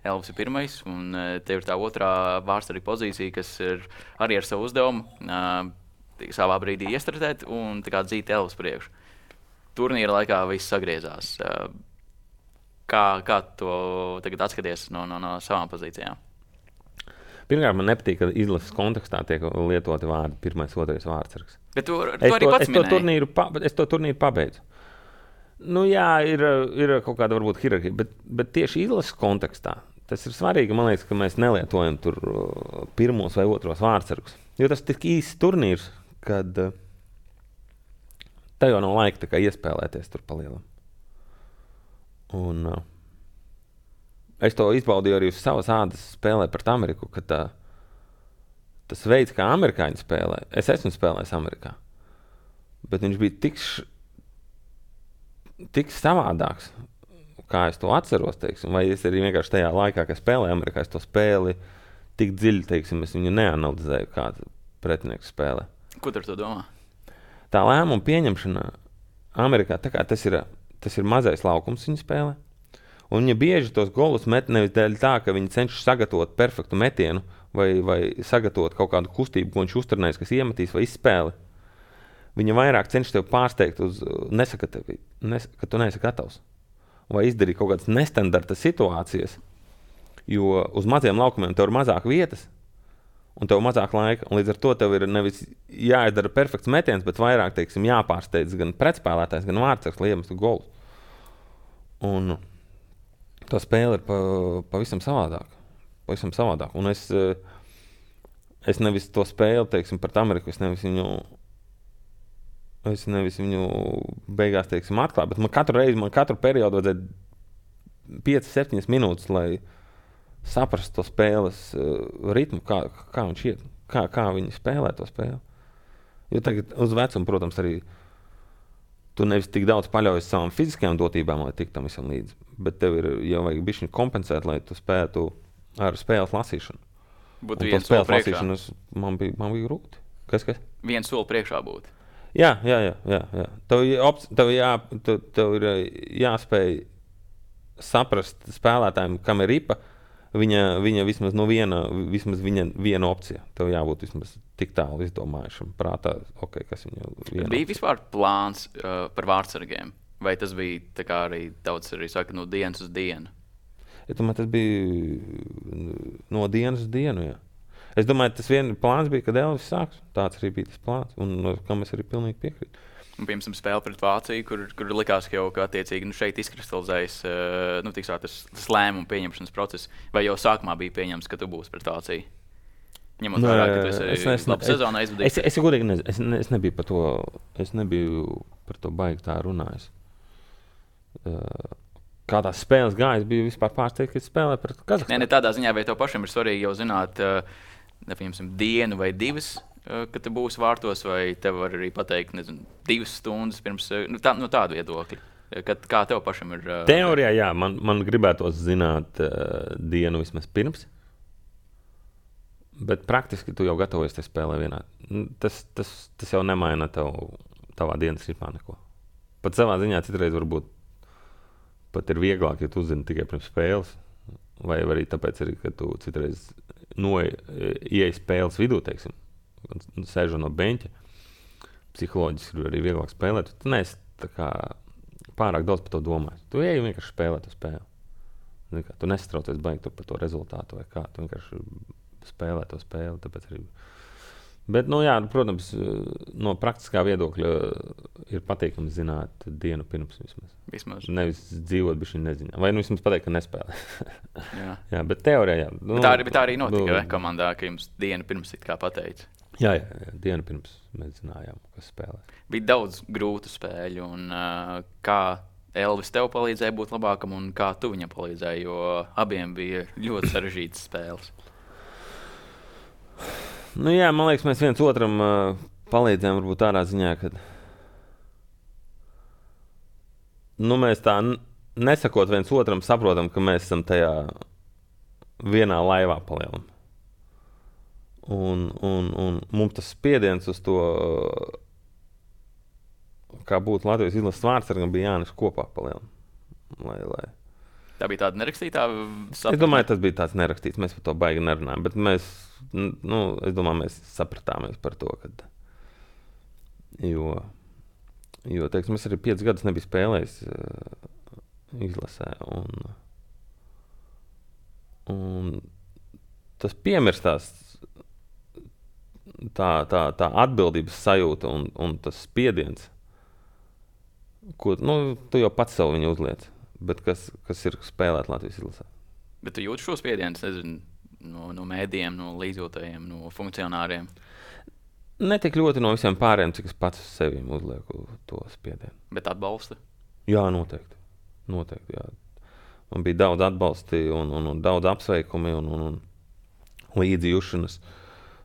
Elvis ir pirmais, un uh, tev ir tā otrā vārdsarga pozīcija, kas ir arī ar savu uzdevumu uh, savā brīdī iestrādāt un tā kā dzīt Elvis priekšu. Turnīra laikā viss sagriezās. Uh, kā, kā to tagad atskaties no, no, no savām pozīcijām? Pirmkārt, man nepatīk, ka izlases kontekstā tiek lietoti vārdi pirmais, otrais vārdsargs. Bet tu, tu Es arī to, pats es, to minēji. turnīru, pa, es to turnīru pabeidzu. Nu jā, ir, ir kaut kāda varbūt hierarhija, bet, bet tieši izlases kontekstā tas ir svarīgi, man liekas, ka mēs nelietojam tur uh, pirmos vai otros vārdsargus. Jo tas tik īsts turnīrs, kad uh, tev jau nav laika tā kā iespēlēties tur palielam. Un uh, es to izbaudīju arī uz savas ādas spēlē pret Ameriku, kad tā, tas veids, kā amerikāņi spēlē, es esmu spēlējis Amerikā, bet viņš bija tik, š, tik savādāks, kā es to atceros, teiksim, vai es arī vienkārši tajā laikā, kad spēlēju Amerikā, es to spēli tik dziļi, teiksim, es viņu neanalizēju, kā pretinieks spēlē. Ko tu ar to domā? Tā lēmuma pieņemšana Amerikā, tā kā tas ir, tas ir mazais laukums viņa spēlē, un viņa bieži tos golus met nevis dēļ tā, ka viņi cenšas sagatavot perfektu metienu vai, vai sagatavot kaut kādu kustību, ko viņš uzturnēs, kas iemetīs vai izspēli. Viņa vairāk cenšas tev pārsteigt uz nesakatavi, nes, ka tu neesi gatavs. Vai izdarīt kaut kādas nestandarta situācijas, jo uz maziem laukumiem tev ir mazāk vietas un tev mazāk laika, un līdz ar to tev ir nevis jāizdara perfekts metiens, bet vairāk, teiksim, jāpārsteidz gan pretspēlētājs, gan vārdsargs, lai iemestu golu. Un tā spēle ir pa, pavisam savādāk. Pavisam savādāk. Un es, es nevis to spēli, teiksim, pret Ameriku, es nevis viņu Es nevis viņu beigās, teiksim, atklāju, bet man katru reizi, man katru periodu vajadzēja piecas, septiņas minūtes, lai saprastu to spēles uh, ritmu, kā, kā viņš iet, kā, kā viņi spēlē to spēli. Jo tagad uz vecumu, protams, arī tu nevis tik daudz paļaujies savām fiziskajām dotībām, lai tik tam visam līdzi, bet tev ir jau vajag bišķiņu kompensēt, lai tu spētu ar spēles lasīšanu. Būtu Un viens to spēles soli priekšā. lasīšanu man bija, man bija grūti. Kas, kas? Viens soli priekšā būtu. Jā, jā, jā, jā, jā. Tev, ir op- tev, jā, tev, tev ir jāspēj saprast spēlētājiem, kam ir ripa, viņa, viņa vismaz no viena, vismaz viņa viena opcija. Tev jābūt vismaz tik tālu izdomājušam prātā, ok, kas viņa viena. Bija vispār plāns uh, par vārdsargiem? Vai tas bija tā kā arī daudz arī saka no dienas uz dienu? Ja domāju, tas bija no dienas uz dienu, jā. Es domāju, tas viens plāns bija, kad Elvis sāks. Tāds arī bija tas plāns, un no kam es arī pilnīgi piekrītu. Un, piemēram, spēle pret Vāciju, kur, kur likās, ka jau kā attiecīgi nu, šeit izkristalizējas uh, nu, tiksā, tas, tas lēmumu pieņemšanas process. Vai jau sākumā bija pieņemts, ka tu būsi pret Vāciju? Ņemot Nu, vērā, ka tu esi es nes- labu sezonu Es, aizvadījis. es, godīgi nezinu, es, ne, es nebiju par to, es nebiju par to baigi tā runājis. Uh, kā tās spēles gājas, bija vispār pārsteigts, ka spēlē pret Kazahstānu. Nē, ne tādā ziņā, vai tev pašam ir svarīgi jau zināt, uh, nepiemēram, dienu vai divas, uh, kad tu būsi vārtos, vai tev var arī pateikt, nezinu, divas stundas pirms, uh, nu, tā, no tādu viedokļu. Kad, kā tev pašam ir? Uh, Teorijā, jā, man, man gribētos zināt uh, dienu vismaz pirms. Bet praktiski tu jau gatavojies tajā spēlē vienā. Tas, tas, tas jau nemaina tev, tavā dienas ritmā neko. Pat savā ziņā citreiz varbūt pat ir vieglāk, ja tu uzzini tikai pirms spēles. Vai arī tāpēc, arī, ka tu citreiz ieej spēles vidū, teiksim, un sēžot no beņķa. Psiholoģiski ir arī vieglāk spēlēt. Tu neesi tā kā pārāk daudz par to domājis. Tu ej vienkārši spēlēt to spēli. Kā, tu nesatraucies baigi par to rezultātu vai kā. Tu vienkārši spēlē to spēli. Tāpēc arī. Bet, nu jā, protams, no praktiskā viedokļa ir patīkami zināt dienu pirms vismaz. Vismaz. Nevis dzīvot bišķiņ neziņā. Vai nu vismaz pateikt, ka nespēlē. Jā. Jā, bet teorijā, jā. Nu, Bet tā, arī, bet tā arī notika nu, nu, komandā, ka jums dienu pirms it kā pateica. Jā, jā, jā, dienu pirms mēs zinājām, kas spēlē. Bija daudz grūtu spēļu, un uh, kā Elvis tev palīdzēja būt labākam, un kā tu viņam palīdzēji, jo abiem bija ļoti sarežģītas spēles. Nu jā, man liekas, mēs viens otram uh, palīdzējām varbūt tādā ziņā, ka nu, mēs tā n- nesakot viens otram saprotam, ka mēs esam tajā vienā laivā palielam. Un, un, un mums tas spiediens uz to, kā būtu Latvijas izlases vārdsargam, bija jānes kopā palielam. Lai, lai. Tā bija tāda nerakstītā sapratne. Es domāju, tas bija tāds nerakstīts. Mēs par to baigi nerunājam. Bet mēs, nu, es domāju, mēs sapratāmies par to, kad. Jo, jo teiksim, es arī piecus gadus nebiju spēlējis uh, izlasē. Un, un tas piemirstās, tā, tā, tā atbildības sajūta un, un tas spiediens, ko nu, tu jau pats sev viņu uzliec. Bet kas, kas ir spēlēt Latvijas izlasē? Bet tu jūti šo spiedienu, nezinu, no, no mēdījiem, no līdzjūtējiem, no funkcionāriem? Ne tik ļoti no visiem pārējiem, cik es pats uz sevi uzlieku to spiedienu. Bet atbalsta? Jā, noteikti. noteikti jā. Man bija daudz atbalsta un, un, un daudz apsveikumi un, un, un līdzjūšanas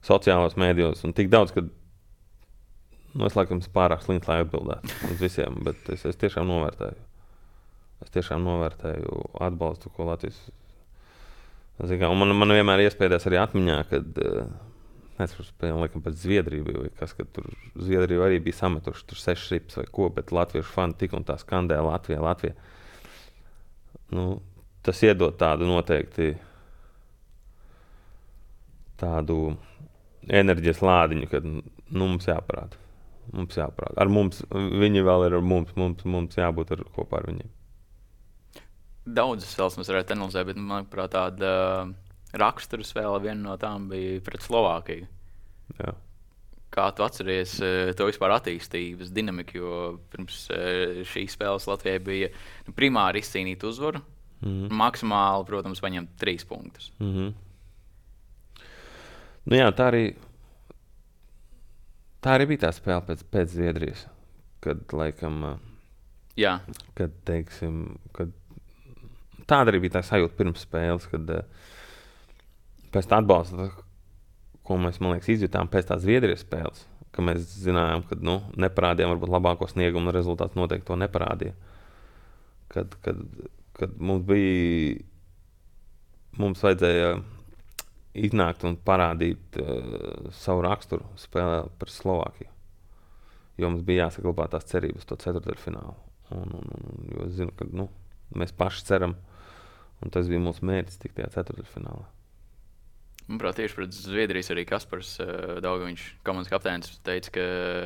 sociālajos mēdījos. Un tik daudz, ka nu, es laikam pārāk slinks, lai atbildētu uz visiem, bet es, es tiešām novērtēju. Es tiešām novērtēju atbalstu, ko Latvijas. Kā, man, man vienmēr iespējās arī atmiņā, kad nezinu, spēlēm laikam pēc Zviedriju bija, vai kas, kad tur Zviedriju arī bija sametuši tur sešas rips vai ko, bet latviešu fani tik un tā skandē Latvijā, Latvijā. Nu, tas iedod tādu noteikti tādu enerģijas lādiņu, kad nu, mums jāparāda. Mums jāparāda. Ar mums, viņi vēl ir ar mums, mums, mums jābūt ar, kopā ar viņiem. Daudzas spēles mēs varētu analizēt, bet, manuprāt, tāda uh, raksturu spēle viena no tām bija pret Slovākiju. Jā. Kā tu atceries uh, to vispār attīstības dinamiku, jo pirms uh, šīs spēles Latvijai bija nu, primāri izcīnīt uzvaru, mm-hmm. maksimāli, protams, paņemt trīs punktus. Mm-hmm. Nu jā, tā arī, tā arī bija tā spēle pēc, pēc Zviedrijas. kad, laikam, Jā. kad, teiksim, kad tāda arī bija tā sajūta pirms spēles, kad pēc tā atbalsta, ko mēs, man liekas, izjutām pēc tās Zviedrijas spēles, ka mēs zinājām, ka, nu, neparādījām varbūt labāko sniegumu un rezultāts noteikti to neparādīja. Kad, kad, kad mums bija, mums vajadzēja iznākt un parādīt uh, savu raksturu spēlē par Slovākiju. Jo mums bija jāsaglabā tās cerības to ceturtdaļfinālu. Un, un, un, jo es zinu, ka, nu, mēs paši ceram, un tas bija mūsu mērķis tikt tajā ceturtdaļfinālā. Manuprāt, tieši pret Zviedrijas arī Kaspars uh, Daugaviņš, komandas kapteinis, teica, ka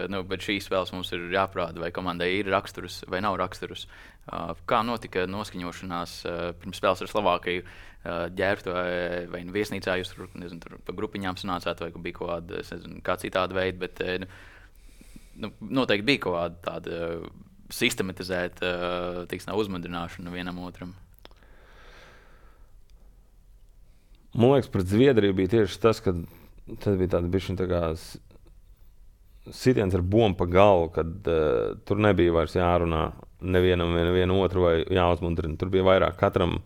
nu, šīs spēles mums ir jāprāda, vai komandai ir raksturs vai nav raksturs. Uh, kā notika noskaņošanās uh, pirms spēles ar Slovākiju? Uh, ģērbtu vai, vai nu viesnīcā jūs tur, nezinu, tur pa grupiņām sanācāt, vai bija kaut kāda, nezinu, kā citāda veida, bet uh, nu, noteikti bija kaut kāda tāda uh, sistematizēta uh, tiksnā uzmundrināšana vienam otram. Man liekas, pret Zviedriju bija tieši tas, ka tas bija tāds bišķiņ tā kā sitiens ar bombu pa galvu, kad uh, tur nebija vairs jārunā nevienam, nevienu otru vai jāuzmundrina. Tur bija vairāk katram,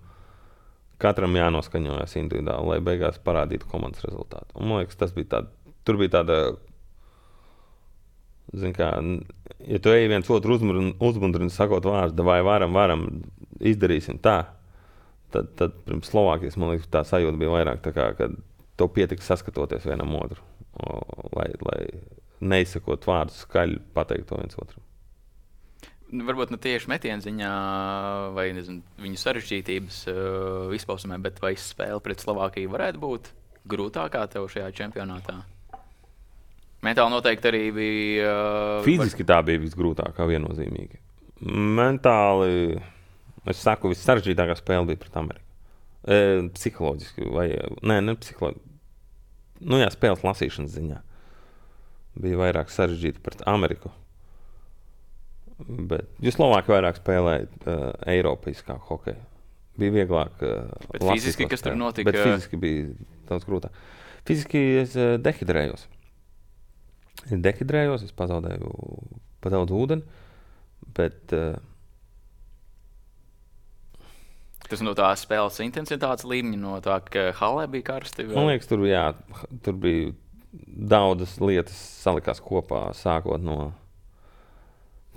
katram jānoskaņojas individuāli, lai beigās parādītu komandas rezultātu. Un man liekas, tas bija tāda, tur bija tāda, zin kā, ja tu ej viens otru uzmundrini, sakot vārdu, vai varam, varam, izdarīsim tā. Tad, tad pirms Slovākijas, man liekas, tā sajūta bija vairāk tā kā, kad to pietika saskatoties vienam otru, o, lai, lai neizsakot vārdus skaļi pateikt to viens otram. Varbūt ne tieši metienu ziņā vai nezinu, viņu sarežģītības uh, izpausmē, bet vai spēle pret Slovākiju varētu būt grūtākā tev šajā čempionātā? Mentāli noteikti arī bija... Uh, Fiziski var... tā bija visgrūtākā viennozīmīgi. Mentāli... Es saku, vissaržģītākā spēle bija pret Ameriku. E, psiholoģiski, vai ne, ne psiholoģiski. Nu jā, spēles lasīšanas ziņā. Bija vairāk sarežģīta pret Ameriku. Bet, jo Slovāki vairāk spēlēja uh, eiropeiskāk hokeju. Bija vieglāk uh, bet fiziski, kas tur notika? Bet fiziski bija daudz grūtāk. Fiziski es uh, dehidrējos. Es dehidrējos, es pazaudēju pa daudz ūdeni, bet... Uh, Tas no tās spēles intensitātes līmeņa, no tā, ka halē bija karsti? Vai? Man liekas, tur, jā, tur bija daudzas lietas salikās kopā, sākot no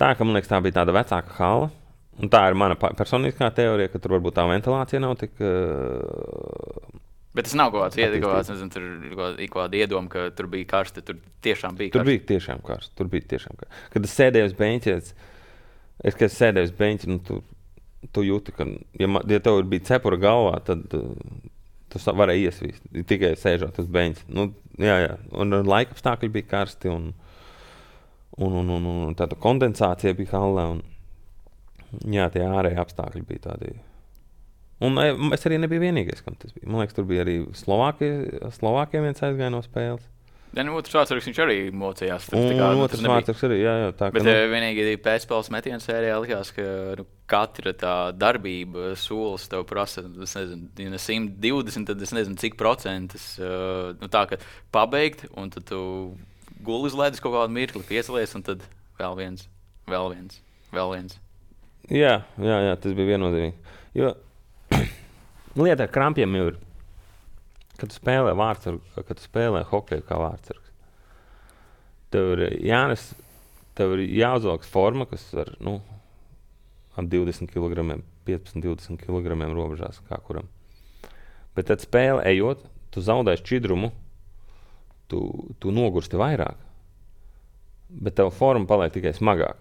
tā, ka man liekas, tā bija tāda vecāka hala. Un tā ir mana personiskā teorija, ka tur varbūt tā ventilācija nav tik... Uh, Bet tas nav kaut kāds iedegās, nezinu, tur ir kaut kāda iedoma, ka tur bija karsti, tur tiešām bija karsti. Tur bija tiešām karsti, tur bija tiešām karsti. Kad es sēdēju uz beņķa, es, es, kad es sēdēju uz beņķa, nu tur... Tu jūti, ka, ja, ja tev bija cepura galvā, tad uh, tu varēji iesvīst, tikai sēžot uz beņķa. Nu, jā, jā. Un laika apstākļi bija karsti, un, un, un, un, un tāda kondensācija bija hallē, un jā, tie ārēji apstākļi bija tādi. Un es arī nebiju vienīgais, kam tas bija. Man liekas, tur bija arī Slovākie, Slovākiem viens aizgāja no spēles. Ja, nu, otrs vārdsargs viņš arī mocījās. Un kā, nu, otrs vārdsargs arī, jā, jā. Tā, bet ka, nu... vienīgi pēcspēles metienu sērijā likās, ka nu, katra tā darbība solis tev prasa, es nezinu, ja simt divdesmit, tad es nezinu, cik procentus. Uh, nu, tā, ka pabeigt, un tad tu guli uz ledus kaut kādu mirkli, piecelies, un tad vēl viens, vēl viens, vēl viens. Jā, jā, jā, tas bija viennozīmīgi. Jo lieta ar krampiem jau ir. Kad tu spēlē vārdsargu, kad tu spēlē hokeju kā vārdsargs, tev ir jānes, tev ir jāuzvelk forma, kas ar, nu, ap divdesmit kilogramiem, piecpadsmit divdesmit kilogramiem robežās kā kuram. Bet tad spēle ejot, tu zaudēsi šķidrumu, tu, tu nogursti vairāk, bet tev forma paliek tikai smagāk.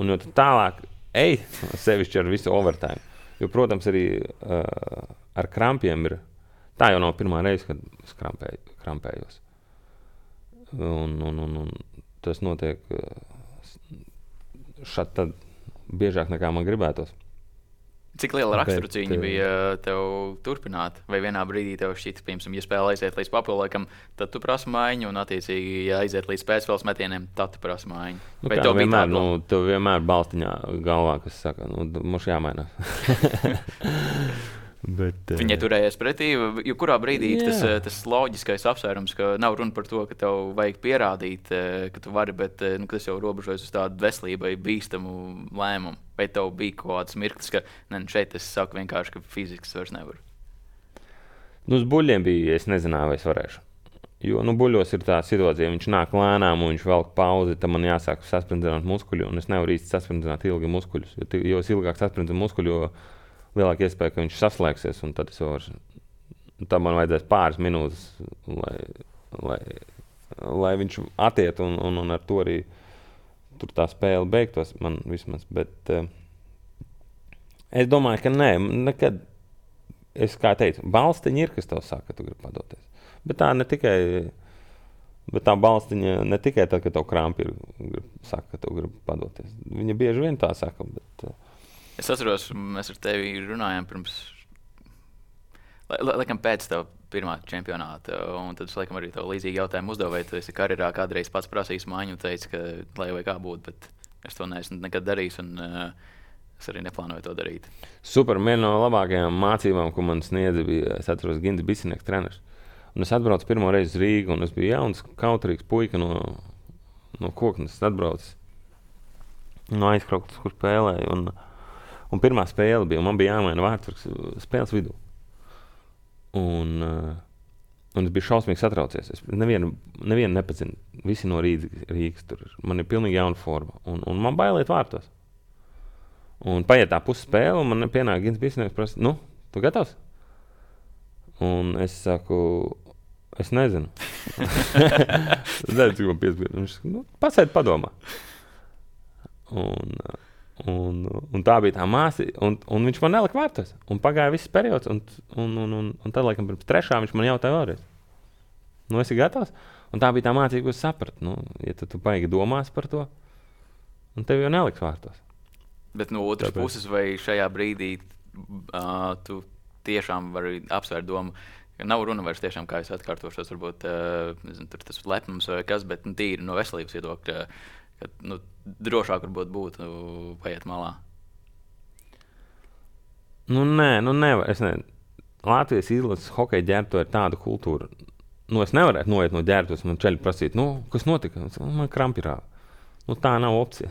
Un jo tu tālāk ej, sevišķi ar visu overtime, jo, protams, arī uh, ar krampiem ir. Tā jau nav pirmā reize, kad es krampēju, krampējos. Un, un, un, un tas notiek šad tad biežāk nekā man gribētos. Cik liela raksturcīņa bija tev turpināt? Vai vienā brīdī tev šķita, piemēram, ja spēle aiziet līdz papildlēkam, tad tu prasa maiņu, un attiecīgi, ja aiziet līdz pēcspēles metieniem, tad tu prasa maiņu? Nu, kā, vienmēr, nu, tev vienmēr balstiņā galvā, kas saka, nu, mums jāmainās. Bet, Viņai turējies pretī, jo kurā brīdī Jā. tas, tas loģiskais apsvērums, ka nav runa par to, ka tev vajag pierādīt, ka tu vari, bet nu, tas jau robežojas uz tādu veselībai bīstamu lēmumu. Vai tev bija kaut kāds mirklis, ka ne, šeit es saku vienkārši, ka fizikas vairs nevaru? Nu, uz buļļiem bija, es nezināju, vai es varēšu. Jo nu, buļļos ir tā situācija, viņš nāk lēnām un viņš velk pauzi, tad man jāsāk sasprintināt muskuļu, un es nevaru īsti sasprintināt ilgi muskuļus. Jo, jo es ilgāk sasprintu muskuļu, jo lielāka iespēja, ka viņš saslēgsies, un tad es varu, tad man vajadzēs pāris minūtes, lai, lai, lai viņš atiet, un, un, un ar to arī tur tā spēle beigtos man vismaz. Bet uh, es domāju, ka nē, nekad, es kā teicu, balstiņi ir, kas tev saka, ka tu gribi padoties. Bet tā ne tikai, bet tā balstiņa ne tikai tad, kad tev krampi ir, grib, saka, ka tu gribi padoties. Viņa bieži vien tā saka, bet... Uh, Es atceros, mēs ar tevi runājām pirms, laikam pēc tev pirmā čempionāta, un tad es laikam arī tev līdzīgi jautājumu uzdevu, vai tu esi karjerā kādreiz pats prasījis māņu un teici, ka lai vai kā būtu, bet es to neesmu nekad darījis, un uh, es arī neplānoju to darīt. Super, viena no labākajām mācībām, ko man sniedza, bija, es atceros, Gins Bisinieks treneris. Un es atbraucu pirmo reizi uz Rīgu, un es biju jauns, kautrīgs puika no, no Koknes. Es atbraucu no aizkrauktas, kur spēlēju, un Un pirmā spēle bija, un man bija jāmaina vārds spēles vidū. Un, uh, un es biju šausmīgi satraucies. Es nevienu, nevienu nepazinu. Visi no Rīgas, Rīgas tur ir. Man ir pilnīgi jauna forma. Un, un man bailiet vārtos. Un paiet tā pusi spēle, un man pienāk Gins Bisinieks prasa, nu, tu gatavs? Un es saku, es nezinu. Es nezinu, cik man piespēju. Viņš saka, nu, pasēd padomā. Un... Uh, Un, un tā bija tā māsa, un, un viņš man nelika vārtos. Un pagāja viss periods, un, un, un, un, un tad, laikam, pirms trešā viņš man jautāja vēlreiz. Nu, esi gatavs? Un tā bija tā mācība, ko es sapratu. Nu, ja tu, tu baigi domās par to, un tev jau neliks vārtos. Bet no otras Tāpēc. puses, vai šajā brīdī uh, tu tiešām vari apsvērt domu, ka nav runa vairs tiešām, kā es atkārtošos, varbūt uh, nezinu, tur tas lepnums vai kas, bet nu, tīri no veselības viedokļa, ka nu, drošāk varbūt būtu paiet malā. Nu, nē, nu nevar. Es ne. Latvijas izlases hokeja ģērbto ir tāda kultūra. Nu, es nevarētu noiet no ģērbtos, man ceļi prasīt, nu, kas notika? Man krampi rāva. Nu, tā nav opcija.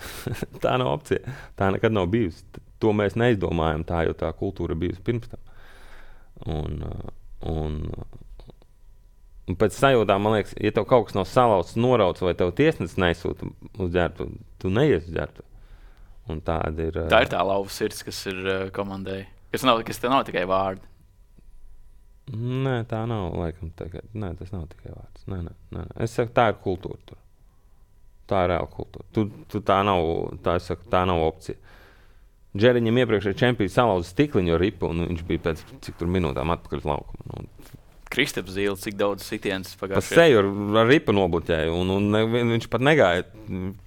tā nav opcija. Tā nekad nav bijusi. To mēs neizdomājam tā, jo tā kultūra bijusi pirms tam. Un, un, un pēc sajūtām, man liekas, ja tev kaut kas nav salauzts, norauts vai tev tiesnesis nesūta uz ģērbtu, tu neies uz ģērbtu. Un tāda ir... Tā ir tā lauva sirds, kas ir uh, komandai. Kas, nav, kas te nav tikai vārdi. Nē, tā nav, laikam, tagad. Nē, tas nav tikai vārds. Nē, nē, nē. Es saku, tā ir kultūra tur. Tā ir reāla kultūra. Tu, tu tā nav, tā, es saku, tā nav opcija. Džeriņam iepriekšēji čempions salauza stikliņu ar ripu, un viņš bija pēc cik tur minūtām atpakaļ uz laukumu. Un... Kristaps Zīle, cik daudz sitienas Pa pagājušajā. seju ar, ar ripu nobluķēju, un, un ne, viņš pat negāja,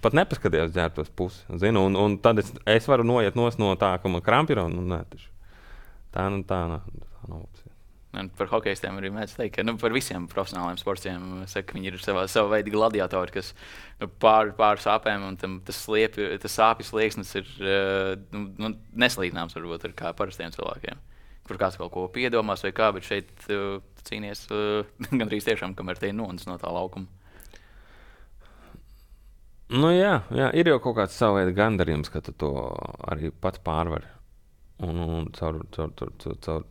pat nepaskatījās ģērbtos pusi. Zinu, un, un tad es, es varu noiet nos no tā, ka man krampi ir, un nē, taču. Tā, nu, tā, tā, tā nav opcija. Un par hokeistiem arī mēdz teikt, ka nu, par visiem profesionāliem sportiem saka, viņi ir savā, savā veida gladiatori, kas nu, pār, pār sāpēm, un tam, tas, sliepi, tas sāpju slieksnis ir nu, nu, neslīdināms varbūt ar kā parastiem cilvēkiem. Kur kāds kaut ko piedomās vai kā, bet šeit uh, cīnies uh, gandrīz tiešām, kamēr te ir nonis no tā laukuma. Nu jā, jā, ir jau kaut kāds savu veidu gandarījums, ka tu to arī pats pārvari. Un, un caur, caur, caur, caur, caur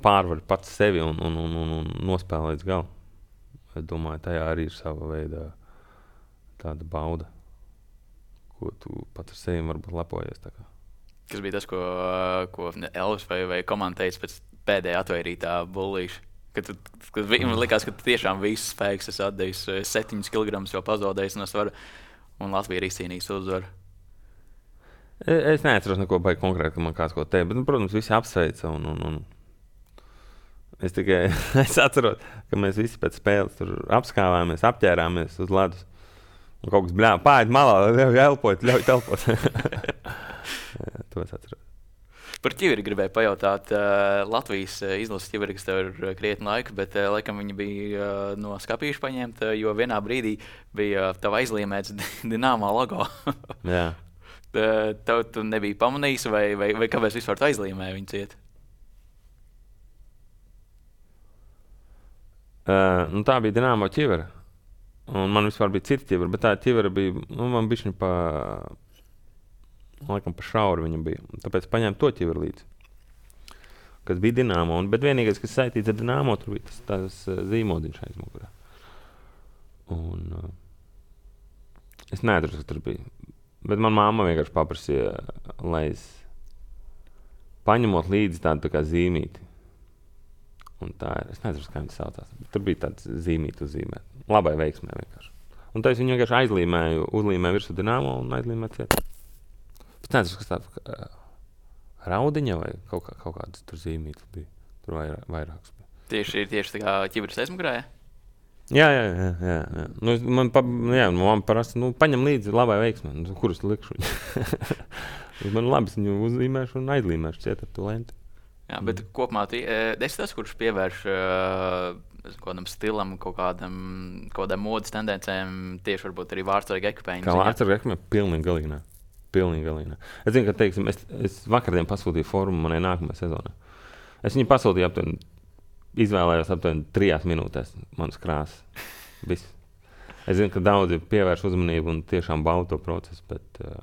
pārvari pats sevi un, un, un, un, un nospēlē līdz galam. Es domāju, tajā arī ir sava veida tāda bauda, ko tu pats ar sevi varbūt lepojies. Tā kā. Kas bija tas, ko, ko Elvis vai, vai komanda teica pēc pēdējā atvairītā bullīša? Kad, tu, kad viņam likās, ka tu tiešām visus spēkus esi atdevis, septiņus kilogramus jau pazaudējis no svara, un Latvija ir izcīnījis uzvaru. Es, es neatceros neko baigi konkrēti, ka man kāds ko teica, bet, nu, protams, visi apsveica. Un, un, un es tikai es atceros, ka mēs visi pēc spēles tur apskāvāmies, apķērāmies uz ledus. Un kaut kas bļāva, pāriet malā, ļauj elpot, ļauj telpot. Jā, to es atceros. Par ķiveri gribēju pajautāt. Uh, Latvijas uh, izlases ķiveri, kas tev ir uh, krietni laika, bet uh, laikam viņi bija uh, no skapīša paņemta, uh, jo vienā brīdī bija uh, tava aizliemēts Dinamo logo. Jā. uh, tev tu nebija pamanījis, vai, vai, vai kāpēc vispār tu aizliemēji viņu ciet? Uh, nu, tā bija Dinamo ķivera. Un man vispār bija cita ķivera, bet tā ķivera bija, nu, man bišķiņ pa, laikam pa šauri viņa bija. Tāpēc paņēmu to ķiveru līdzi, kas bija Dinamo. Un, bet vienīgais, kas saistīts ar Dinamo, tur bija tas, tas zīmodiņš aiz mugurā. Un uh, es neatrastu, kas tur bija. Bet man mamma vienkārši paprasīja, lai es paņemot līdzi tādu tā kā zīmīti. Un tā ir, es nezinu, kā viņi saucās. Tur bija tāds zīmīti uzzīmēt. Labai veiksmē vienkārši. Un tā es viņu vienkārši aizlīmēju, uzlīmēju virsū Dinamo un aizlīmēju ciet. Es nezinu, kas tāds uh, raudiņa vai kaut, kā, kaut kādas tur zīmītas bija. Tur vairāk, vairākas bija. Tieši ir tieši tā kā ķiveres aizmugurē? Jā, jā, jā. jā, jā. Nu, man, pa, jā, man parasti, nu, paņem līdzi labai veiksmē. Nu, kur es likšu viņu? Man labi, es viņu uzlīmēšu un aizlīmēšu ciet ar to lenti. Jā, bet mm. kopumā tu esi tas, kurš pievērš uh, kādam stilam, kaut kādam, kādam modas tendencēm, tieši varbūt arī vārdsarga ekipēņu. Kā vārdsarga ekipēņu? Pilnīgi galīnā. Pilnīgi galīnā. Es zinu, ka, teiksim, es, es vakardien pasūtīju formu manai nākamajai sezonai. Es viņu pasūtīju aptuveni, izvēlējos aptuveni trijās minūtēs manas krāsas. Viss. Es zinu, ka daudzi pievērš uzmanību un tiešām bauda to procesu, bet uh,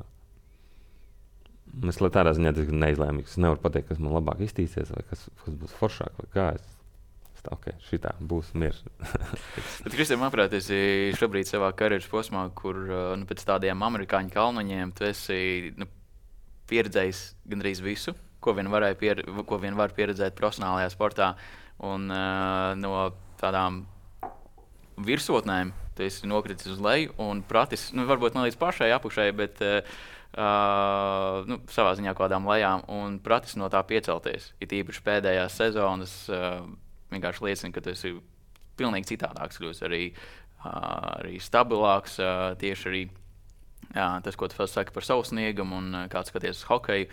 es lai tādā ziņā diezgan neizlēmīgs. Es nevaru pateikt, kas man labāk iztīsies, vai kas, kas būs foršāk, vai kā. Es, es tā, ok, šitā būs miers. Bet, Kristēn, manuprāt, esi šobrīd savā karjeras posmā, kur nu, pēc tādiem amerikāņu kalnoņiem tu esi nu, pieredzējis gandrīz visu, ko vien, pier, ko vien var pieredzēt profesionālajā sportā. Un uh, no tādām virsotnēm tu esi nokritis uz leju un pratis, nu, varbūt ne līdz pašai apakšai, bet uh, Uh, nu, savā ziņā kādām lejām un pratis no tā piecelties. It īpaši pēdējās sezonas uh, vienkārši liecina, ka tu esi pilnīgi citādāks, kļūst arī, uh, arī stabilāks. Uh, tieši arī uh, tas, ko tu saki par savu sniegumu un uh, kāds skaties uz hokeju.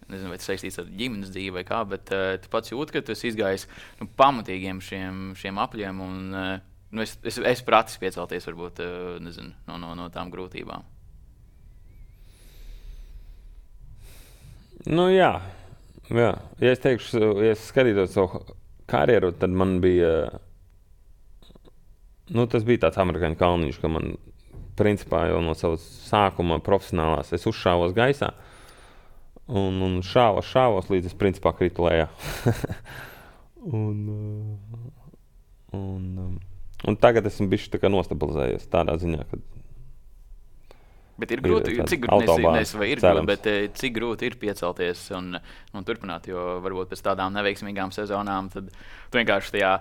Nezinu, vai tas saistīts ar ģimenes dzīvi vai kā, bet uh, tu pats jūti, ka tu esi izgājis nu, pamatīgiem šiem, šiem apļiem un uh, nu, es, es, es pratis piecelties varbūt uh, nezinu, no, no, no tām grūtībām. Nu, jā. jā. Ja es teikšu, ja es skatītos savu karjeru, tad man bija, nu, tas bija tāds amerikāņu kalniņš, ka man, principā, jau no savas sākuma profesionālās, es uzšāvos gaisā un, un šāvos, šāvos, līdz es, principā, kritu lejā. un, un, un tagad esmu bišķi tā kā nostabilizējies tādā ziņā, ka Bet ir grūti, ir cik grūti, nezinu, vai ir grūti, bet cik grūti ir piecelties un, un turpināt, jo varbūt pēc tādām neveiksmīgām sezonām tad tu vienkārši tajā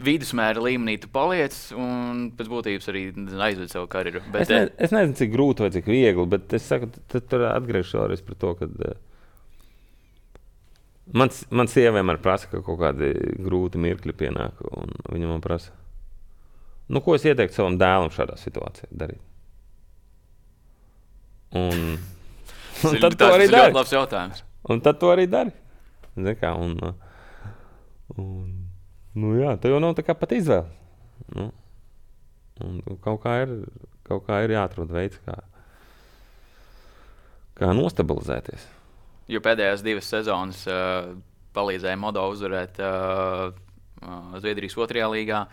vidusmēra līmenī tu paliec un pēc būtības arī aizved savu karjeru. Bet, es, ne, es nezinu, cik grūti vai cik viegli, bet es saku, tad tur atgriežos vēlreiz par to, ka man, man sieva vienmēr prasa, ka kaut kādi grūti mirkļi pienāk un viņa man prasa, nu, ko es ieteiktu savam dēlam šādā situācijā darīt? Un, un tad to arī dari. Labs jautājums. Un tad to arī dari. Kā, un, un, nu jā, tā jau nav tā kā pat izvēle. Nu, un kaut kā ir, kaut kā ir jāatrod veids, kā, kā nostabilizēties. Jo pēdējās divas sezonas uh, palīdzēja Modo uzvarēt uh, uh, Zviedrijas otrajā līgā.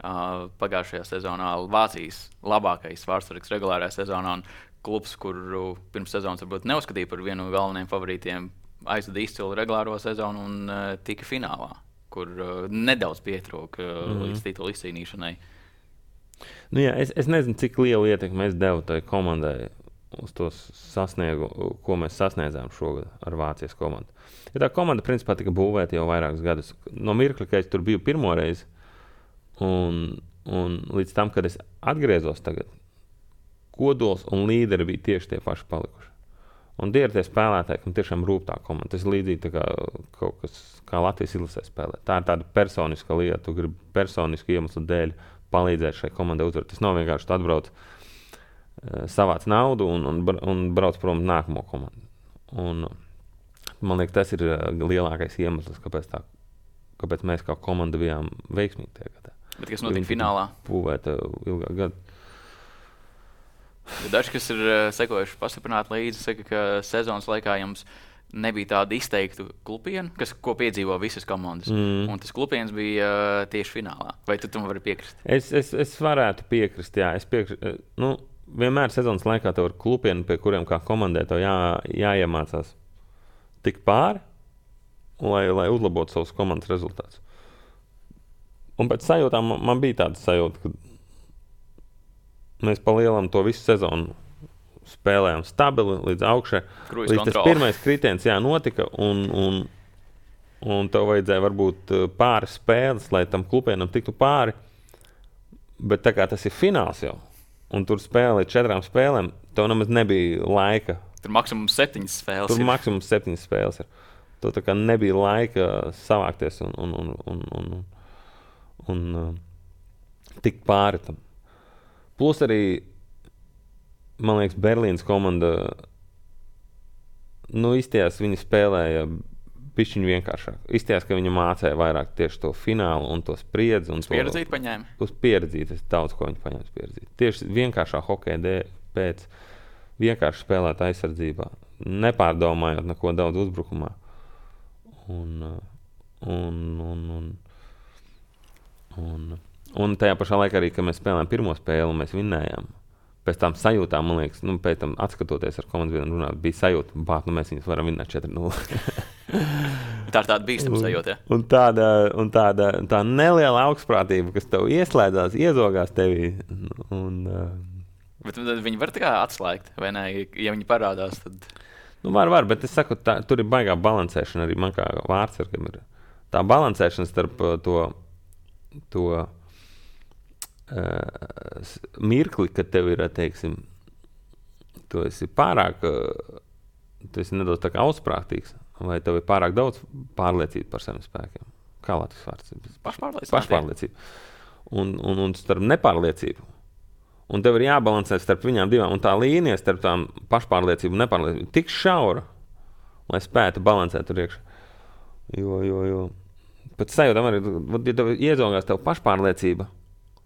Uh, pagājušajā sezonā Vācijas labākais vārdsargs regulārajā sezonā. Un klubs, kuru pirms sezonas varbūt neuzskatīja par vienu no galvenajiem favorītiem, aizveda izcilu regulāro sezonu un uh, tika finālā, kur uh, nedaudz pietrūka uh, mm-hmm. līdz titula izcīnīšanai. Nu jā, es, es nezinu, cik lielu ietekmi es devu tai komandai uz to sasniegu, ko mēs sasniedzām šogad ar Vācijas komandu. Ja tā komanda principā tika būvēta jau vairākus gadus. No mirkļa, ka es tur biju pirmo reizi un, un līdz tam, kad es atgriezos tagad, kodols un līderi bija tieši tie paši palikuši. Un tie ir tie spēlētāji, kam tiešām rūp tā komanda. Tas ir līdzīgi tā kā kaut kas, kā Latvijas izlasē spēlē. Tā ir tāda personiska lieta, tu gribi personisku iemeslu dēļ palīdzēt šai komandai uzvarēt. Tas nav vienkārši tu atbrauc, savāc naudu un, un, un brauc prom nākamo komandu. Un man liekas, tas ir lielākais iemesls, kāpēc, tā, kāpēc mēs kā komanda bijām veiksmīgi tajā gadā. Bet kas notika finālā? Būvēta ilgāk gadu. Daži, kas ir uh, sekojuši pastiprināti līdzi, saka, ka sezonas laikā jums nebija tāda izteikta klupiena, kas, ko piedzīvo visas komandas. Mm. Un tas klupiens bija uh, tieši finālā. Vai tu tam vari piekrist? Es, es, es varētu piekrist, jā. Es piekrist, nu, vienmēr sezonas laikā tev ir klupieni, pie kuriem kā komandai tev jā, jāiemācās tikt pāri, lai, lai uzlabotu savus komandas rezultātus. Un pēc sajūtām man, man bija tāda sajūta, ka mēs palielam to visu sezonu spēlējām stabili līdz augšai. Kruīz līdz kontroli. tas pirmais kritiens jā, notika, un, un, un tev vajadzēja varbūt pāris spēles, lai tam klupienam tiktu pāri. Bet tā kā tas ir fināls jau, un tur spēlē četrām spēlēm, tev nemaz nebija laika. Tur maksimums septiņas spēles. Tur ir. maksimums septiņas spēles ir. Tev tā kā nebija laika savākties un, un, un, un, un, un, un uh, tikt pāri tam. Plus arī man liekas, Berlīnas komanda, nu, izties, viņi spēlēja pišķiņu vienkāršāk. Izties, ka viņi mācēja vairāk tieši to finālu un to spriedzi. Un Uz pieredzīt paņēma? Uz pieredzīt, es daudz ko viņi paņēma uz pieredzīt. Tieši vienkāršā hokeja dēļ pēc vienkārši spēlēt aizsardzībā, nepārdomājot neko daudz uzbrukumā. Un, un, un, un, un, un tajā pašā laikā arī, kad mēs spēlējām pirmo spēli, mēs vinnējām. Pēc tam sajūtām, man liekas, nu, pēc tam atskatoties ar komandas vienu runāt, bija sajūta, bāt, nu, mēs viņus varam vinnēt četri nulle. Tā ir tāda bīstama sajūta, ja? Un tāda, un tāda tā neliela augstprātība, kas tev ieslēdzās, iezogās tevī. Un, uh, Bet viņi var tā kā atslēgt, vai ne? Ja viņi parādās, tad... Nu, var, var, bet es saku, tā, tur ir baigā balansēšana arī man kā vārdsargam ir. Tā balansēšana starp to, to Uh, mirkli, kad tev ir, teiksim, tu esi pārāk, uh, tu esi nedaudz tā kā augstprātīgs, vai tev ir pārāk daudz pārliecība par saviem spēkiem. Kā latvijas vārds? Pašpārliecība. Pašpārliecība. Un, un, un starp nepārliecību. Un tev ir jābalansē starp viņām divām. Un tā līnija starp tām pašpārliecību un nepārliecību tik šaura, lai spētu balansēt tur iekšā. Jo, jo, jo. Pēc sajūtām arī, ja tev iezogās tev pašpārliecība,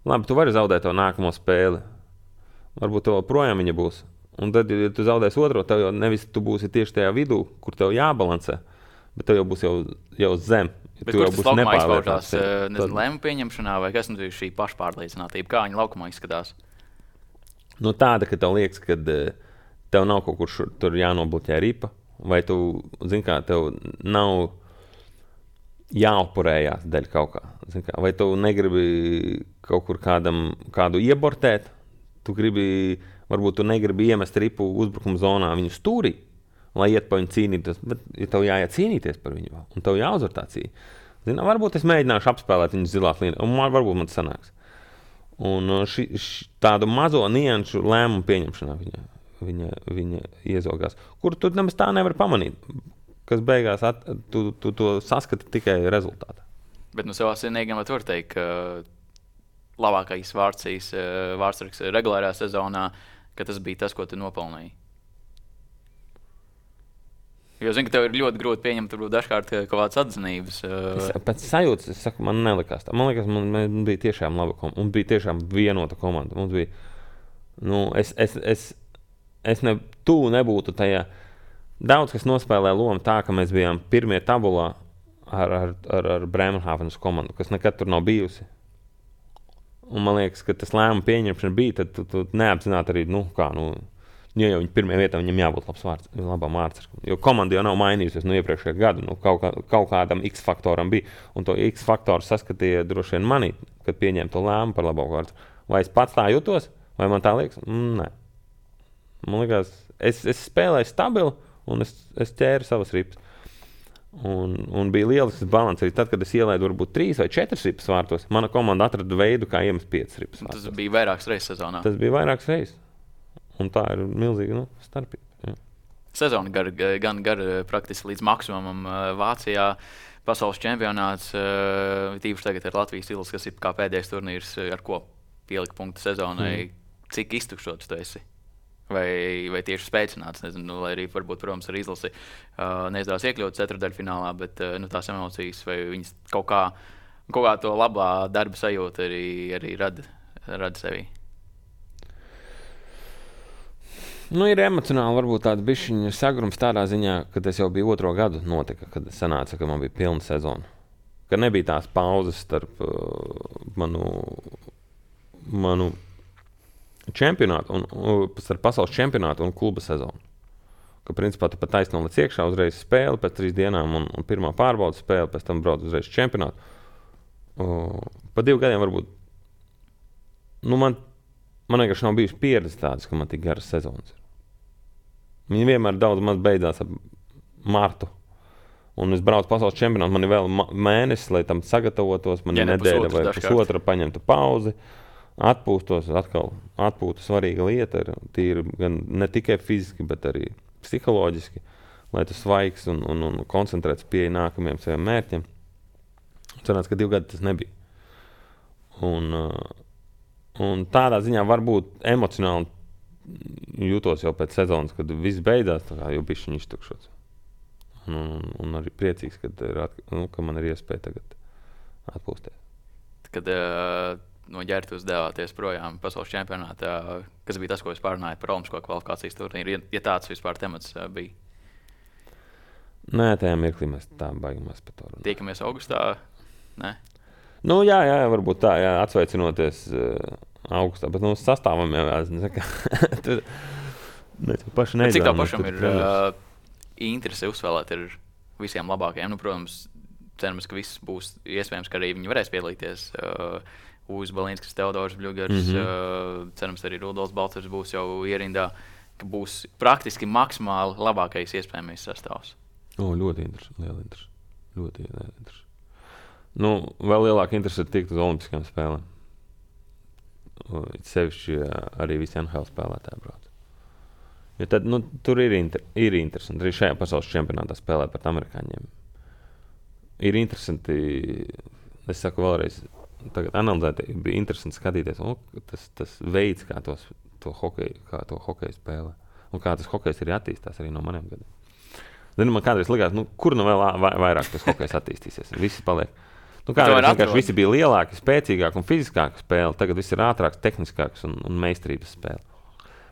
labi, tu vari zaudēt to nākamo spēli. Varbūt tev projām viņa būs. Un tad, ja tu zaudēsi otro, tev jau nevis tu būsi tieši tajā vidū, kur tev jābalansē, bet tev jau būs jau, jau zem. Bet kur tas laukumā izpaužās? Nezinu, lēmu pieņemšanā vai kas nu šī pašpārliecinātība? Kā viņa laukumā izskatās? Nu tāda, ka tev liekas, ka tev nav kaut kur šur, tur jānobloķē ripa, vai tu, zini kā, tev nav jāupurējās dēļ kaut kā. kā. Vai tu negribi kaut kur kādam, kādu iebortēt, tu gribi, varbūt tu negribi iemest ripu uzbrukuma zonā viņu stūrī, lai iet pa viņu cīnīties, bet ja tev jāiet cīnīties par viņu, un tev jāuzvar tā cīņa. Zini, varbūt es mēģināšu apspēlēt viņu zilās līnijas, un man, varbūt man tas sanāks. Un ši, ši, tādu mazo nianšu lēmumu pieņemšanā viņa, viņa, viņa iezogās, kur tu nemaz tā nevar pamanīt. Kas beigās at, tu, tu to saskati tikai rezultātā. Bet nu savā sienīgam var teikt, ka labākais vārdsīs, vārdsargs regulārā sezonā, ka tas bija tas, ko tu nopelnīji. Jo zinu, ka tev ir ļoti grūti pieņemt varbūt dažkārt kaut kādas atzinības. Es, pēc sajūtas, es saku, man nelikās tā. Man liekas, man, man bija tiešām laba komanda. Mums bija tiešām vienota komanda. Mums bija, nu, es, es, es, es ne, tu nebūtu tajā. Daudz, kas nospēlē lomu tā, ka mēs bijām pirmie tabulā ar, ar, ar, ar Bremerhavenas komandu, kas nekad tur nav bijusi. Un man liekas, ka tas lēmuma pieņemšana bija, tad tu, tu neapzināti arī, nu, kā, nu, ja jau viņi pirmie vietā, viņam jābūt labs vārds, labam vārdsargam. Jo komanda jau nav mainījusies no iepriekšējā gada, nu, kaut, kā, kaut kādam X-faktoram bija. Un to X-faktoru saskatīja droši vien manī, kad pieņēma to lēmumu par labāku vārdu. Vai es pats tā jutos, vai man tā liekas? Mm, nē. Man liekas, es, es spēlēju stabili, un es, es ķēru savas ripas. Un, un bija lielisks balans arī tad, kad es ielaidu varbūt trīs vai četras ripas vārtos. Mana komanda atrada veidu, kā iemest piecas ripas vārtos. Tas bija vairākas reizes sezonā. Tas bija vairākas reizes. Un tā ir milzīga, nu, starpība. Jā. Sezona gar, gan gar praktiski līdz maksimumam Vācijā. Pasaules čempionāts, tīpaši tagad ar Latvijas stils, kas ir kā pēdējais turnīrs, ar ko pielika punktu sezonai. Mm. Cik iztukšots tu esi? Vai, vai tieši spēcināts, nezinu, lai arī varbūt, protams, ar izlasi uh, neizdevās iekļūt ceturdaļfinālā, bet uh, nu, tās emocijas vai viņas kaut kā, kaut kā to labā darba sajūta arī, arī rada, rada sevī. Nu, ir emocionāli, varbūt tāds bišķiņa sagrums tādā ziņā, ka tas jau bija otro gadu notika, kad sanāca, ka man bija pilna sezona. Ka nebija tās pauzes starp uh, manu, manu čempionātu, un, un, starp pasaules čempionātu un kluba sezonu. Ka principā tu pat taisno līdz iekšā uzreiz spēli pēc trīs dienām un, un pirmā pārbaudas spēle, pēc tam brauc uzreiz čempionātu. Uh, pa divu gadiem varbūt, nu man, man vienkārši nav bijusi pieredze tādas, ka man tik garas sezonas ir. Viņi vienmēr daudz maz beidzās ap martu. Un es braucu pasaules čempionātu, man ir vēl mēnesis, lai tam sagatavotos, man ir nedēļa vai pusotra paņemtu pauzi, atpūstos, atkal atpūta svarīga lieta ir, tīri gan ne tikai fiziski, bet arī psiholoģiski, lai tu svaigs un, un, un koncentrēts pieeja nākamajiem saviem mērķiem. Cerās, ka divi gadi tas nebija. Un, un tādā ziņā varbūt emocionāli jūtos jau pēc sezonas, kad viss beidzās, tā kā jau bišķiņ iztukšots. Un, un, un arī priecīgs, kad ir at, nu, ka man ir iespēja tagad atpūsties. Kad uh, no ģērtus devāties projām pasaules čempionātā, kas bija tas, ko es pārunāju par olimpisko kvalifikācijas turnīru, ja, ja tāds vispār temats uh, bija? Nē, tajā mirklī mēs tā baigamies par to runāt. Tiekamies augustā? Nē? Nu jā, jā, varbūt tā, jā, atsveicinoties uh, augustā, bet nu sastāvam jau jāsaka. Tur mēs jau paši neizvēlamies. Cik tā pašam ir uh, interese uzspēlēt ar visiem labākajiem? Nu, protams, cerams, ka viss būs iespējams, ka arī viņi varēs piedalīties. Uh, Uz Balīnskis, Teodors Bļugars, mm-hmm. uh, cerams, arī Rudolfs Balcers būs jau ierindā, ka būs praktiski maksimāli labākais iespējamais sastāvs. O, ļoti interesanti, liela interesi. Ļoti liela interesi. Nu, vēl lielāka interese ir tikt uz olimpiskajām spēlēm. Sevišķi arī visi N H L spēlētāji brauc. Jo tad, nu, tur ir, inter, ir interesanti. Arī šajā pasaules čempionātā spēlē pret amerikāņiem. Ir interesanti, es saku vēlreiz, tagad analizēt, bija interesanti skatīties, o, tas, tas veids, kā, tos, to hokeju, kā to hokeju spēlē. Un kā tas hokejs arī attīstās arī no maniem gadiem. Zinu, man kādreiz likās, nu, kur nu vēl vairāk tas hokejs attīstīsies. Visi paliek. Nu, kādreiz vienkārši visi bija lielāki, spēcīgāki un fiziskāki spēle. Tagad viss ir ātrāks, tehniskāks un, un meistarības spēle.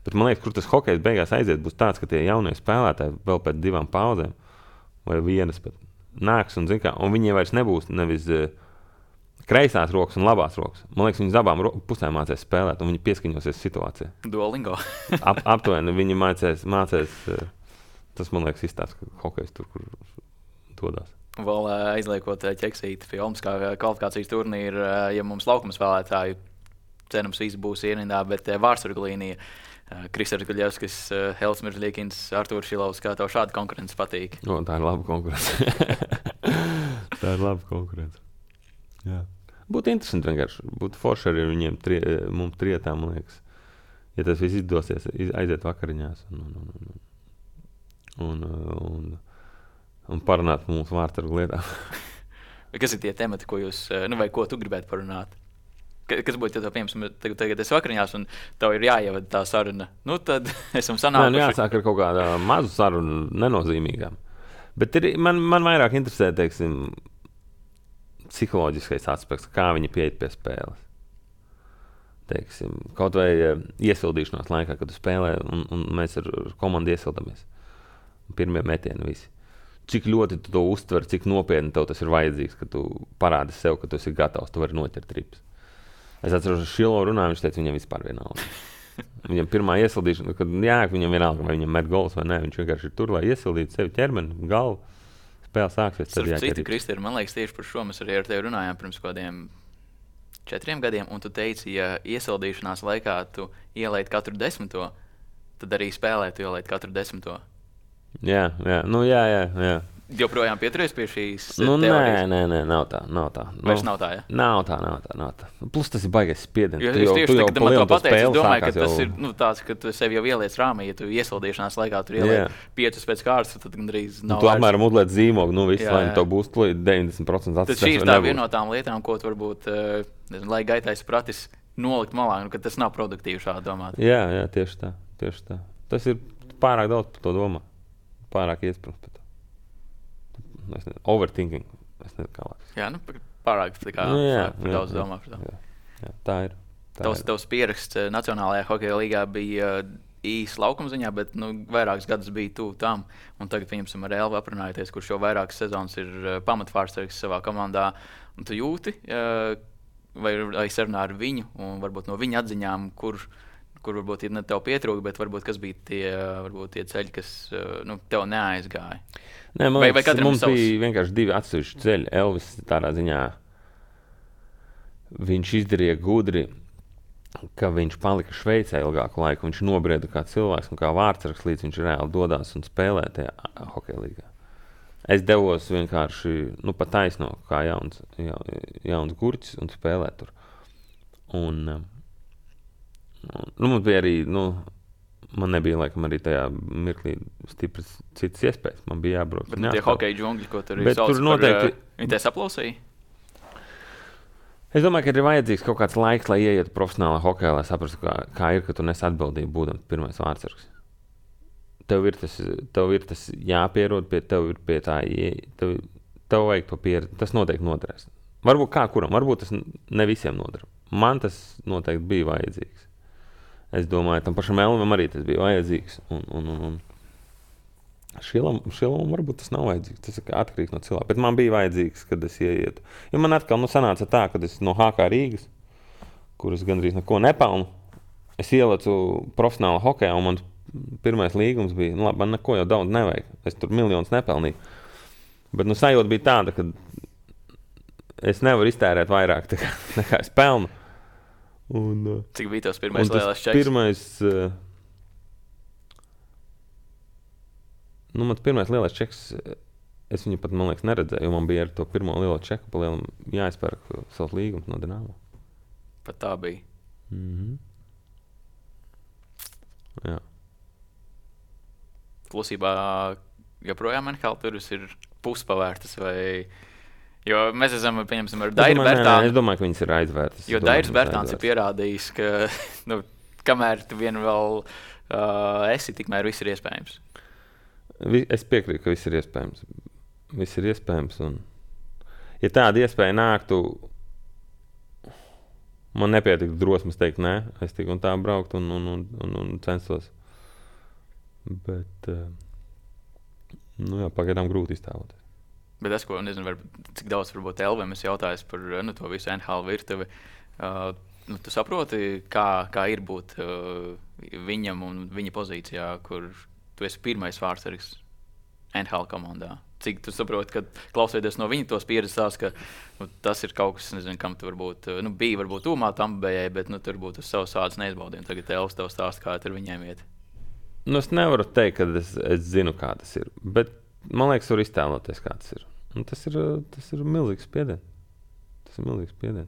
Bet man liekas, kur tas hokejs beigās aiziet, būs tāds, ka tie jaunie spēlētāji vēl pēc divām pauzēm vai vienas pat nāks un, zin kā, un viņiem vairs nebūs nevis uh, kreisās rokas un labās rokas. Man liekas, viņi abām ro- pusēm mācēs spēlēt un viņi pieskaņosies situācijai. Duolingo. Ap, aptuveni viņi mācēs, mācēs uh, tas, man liekas, izstāst, ka hokejs tur, kur dodās. Vēl aizliekot ķeksīti pie olimpiskā kvalifikācijas turnīra, ja mums laukuma spēlētāju cerams visi būs ierindā, bet vārdsargu līnija Kristers Guļevskis, Helts Miržļiekins, Artūrs Šilovs, kā tev šāda konkurence patīk? O, tā ir laba konkurence. tā ir laba konkurence. Jā. Būtu interesanti vienkārši. Būtu forši arī viņiem tri, mums trietā, man liekas. Ja tas viss izdosies, aiziet vakariņās. Un, un, un, un, un, un parunāt mūsu vārdsargu lietām. Kas ir tie temati, ko jūs, nu vai ko tu gribētu parunāt? Kas būtu, ja tev, piemēram, tagad, tagad es vakariņās un tev ir jāievada tā saruna? Nu, tad esam sanākuši. Nē, nu jāsāk ar kaut kādā mazu sarunu, nenozīmīgām. Bet ir, man, man vairāk interesē, teiksim, psiholoģiskais aspekts, kā viņi pieiet pie spēles. Teiksim, kaut vai iesildīšanās laikā, kad tu spēlē un, un mēs ar komandu iesildamies. Pirmie metieni visi. Cik ļoti tu to uztver, cik nopietni tev tas ir vajadzīgs, ka tu parādi sev, ka tu esi gatavs, tu vari noķert rips. Es atceros, ka Šilo runāja, viņš teica, viņam vispār vienalga. Viņam pirmā iesildīšana, kad jā, viņam vienalga, vai viņam met gols vai nē, viņš vienkārši ir tur, lai iesildītu sevi ķermeni, galvu. Spēle sāksies, tad jāķer rips. Citu, Kristi, man liekas, tieši par šo mēs arī ar tevi runājām pirms kādiem četriem gadiem, un tu teici, ja iesildīšanās laikā tu ielaid katru desmito, tad arī spēlē tu ielaid katru desmito. Jā, jā, nu jā, jā, jā. Joprojām pieturies pie šīs nu, teorijas? Nē, nē, nē, nav tā, nav tā. Vairs nav tā, ja? Nav tā, nav tā, nav tā. Plus tas ir baigais spiediens. Jo, es tieši tā, kad man to pateicu, es domāju, ka tas jau... ir nu, tāds, ka tu sev jau ieliec rāmī, ja tu iesildīšanās laikā tur ieliec piecus pēc kārtas, tad gandrīz nav nu, tu apmēram uzliec zīmogu, nu viss, lai to būs deviņdesmit procenti atstās. Tad šī ir tā viena no tām lietām, ko tu varbūt, nezinu, lai gaitais pratis nolikt malā, nu, ka tas nav produktīvi šādi domāt. Jā, jā, tieši tā, tieši tā. Tas ir pārāk daudz par to domā. Pārāk iesprums par to. Es nezinu, overthinking. Es nezinu, kā lāks. Jā, nu, pārāk tā kā nu, jā, par jā, daudz jā, domā par to. Jā, jā, tā ir. Tā tavs, ir. tavs pieraksts Nacionālajā hokeja līgā bija īsi laukuma ziņā, bet nu, vairākus gadus bija tuvu tam. Un tagad, pieņemsim, ar Elvu aprunājoties, kurš jau vairākas sezonas ir uh, pamatvārsargs savā komandā. Un tu jūti, uh, vai, vai sarunā ar viņu, un varbūt no viņa atziņām, kur, kur varbūt ir ne tev pietrūka, bet varbūt kas bija tie, varbūt tie ceļi, kas uh, nu, tev neaizgāja. Nē, man liekas, vai, vai mums savs... bija vienkārši divi atsevišķi ceļi. Elvis tādā ziņā, viņš izdarīja gudri, ka viņš palika Šveicē ilgāku laiku. Viņš nobrieda kā cilvēks un kā vārdsargs, līdz viņš reāli dodās un spēlē tajā hokeja līgā. Es devos vienkārši nu, pa taisno kā jauns, ja, jauns gurķis un spēlēt tur. Un, un nu, mums bija arī, nu, man nebija laikam arī tajā mirklī stipras citas iespējas. Man bija jābrauc. Bet tie hokeja džungļi, ko tur ir sauc noteikti... par... Viņi te saplausīja? Es domāju, ka ir vajadzīgs kaut kāds laiks, lai ieietu profesionālā hokejā, lai saprastu, kā, kā ir, ka tu nes atbildību būdams pirmais vārdsargs. Tev ir tas, tev ir tas jāpierod, pie tev ir pie tā, tev, tev vajag to pieredzi. Tas noteikti noderēs. Varbūt kā kuram, varbūt tas ne visiem noder. Man tas noteikti bija vajadzīgs. Es domāju, tam pašam Elvam arī tas bija vajadzīgs. Un, un, un, un. Šilam, šilam varbūt tas nav vajadzīgs, tas ir atkarīgs no cilvēka, bet man bija vajadzīgs, kad es ieietu. Jo man atkal nu, sanāca tā, kad es no H K Rīgas, kuras gandrīz neko nepelnu, es ielecu profesionāla hokejā, un man pirmais līgums bija, nu labi, man neko jau daudz nevajag, es tur miljonus nepelnīju. Bet nu sajūta bija tāda, ka es nevaru iztērēt vairāk tā kā, nekā es pelnu. Un, cik bija tavs pirmais lielais čeks? Pirmais... Nu, mans pirmais lielais čeks, es viņu pat, man liekas, neredzēju, jo man bija ar to pirmo lielo čeku pa lielam jāizpērk savs līgums no Dinamo. Pat tā bija? Mhm. Jā. Klusībā joprojām N H L turis ir puspavērtas vai... Jo mēs esam, pieņemsim, ar Dairu Bertānu... Es domāju, ka viņas ir aizvērtas. Jo Dairis Bertāns ir pierādījis, ka, nu, kamēr tu vien vēl uh, esi, tikmēr viss ir iespējams. Es piekrītu, ka viss ir iespējams. Viss ir iespējams. Un, ja tāda iespēja nāktu, man nepietiktu drosmes teikt nē. Es tik un tā braukt un, un, un, un, un censtos. Bet, nu jā, pagaidām grūti iztēloties. Bet es, ko nezinu, var, cik daudz varbūt Elvim es jautājos par nu, to visu N H L virtuvi. Uh, nu, tu saproti, kā, kā ir būt uh, viņam un viņa pozīcijā, kur tu esi pirmais vārdsargs N H L komandā. Cik tu saproti, ka klausoties no viņa tos pieredzes, ka nu, tas ir kaut kas, nezinu, kam tu varbūt, nu, bija varbūt tūmā Tampabējai, bet nu, tur būtu uz savas ādas neizbaudījumi. Tagad Elvis tev stāst, kā tur viņiem iet. Nu, es nevaru teikt, ka es, es zinu, kā tas ir, bet man liekas, var iztēloties, kā tas ir. Un tas ir, tas ir milzīgs spiediens. Tas ir milzīgs spiediens.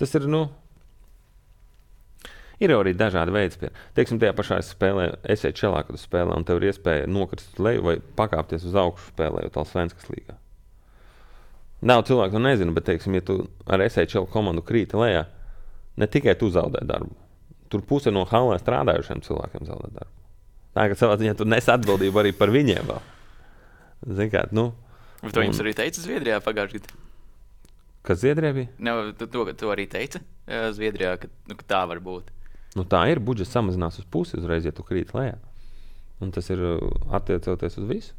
Tas ir, nu, ir arī dažādi veidi spēlē. Teiksim, tajā pašā spēlē, esi čelā, kad tu spēlē, un tev ir iespēja nokrist uz leju vai pakāpties uz augšu spēlējot Allsvenskas līgā. Nav cilvēku, tu nezinu, bet, teiksim, ja tu ar esi čelu komandu krīti lejā, ne tikai tu zaudē darbu. Tur puse no halē strādājušiem cilvēkiem zaudē darbu. Tā, ka savā ziņā tu nes atbildību arī par viņiem vēl. Zini kā, nu... Bet to jums un... arī teica Zviedrijā pagājušajā gadā? Kas Zviedrijā bija? Ne, tu, to, to arī teica Zviedrijā, ka, nu, ka tā var būt. Nu, tā ir, budžets samazinās uz pusi uzreiz, ja tu krīt lejā. Un tas ir attiecoties uz visu.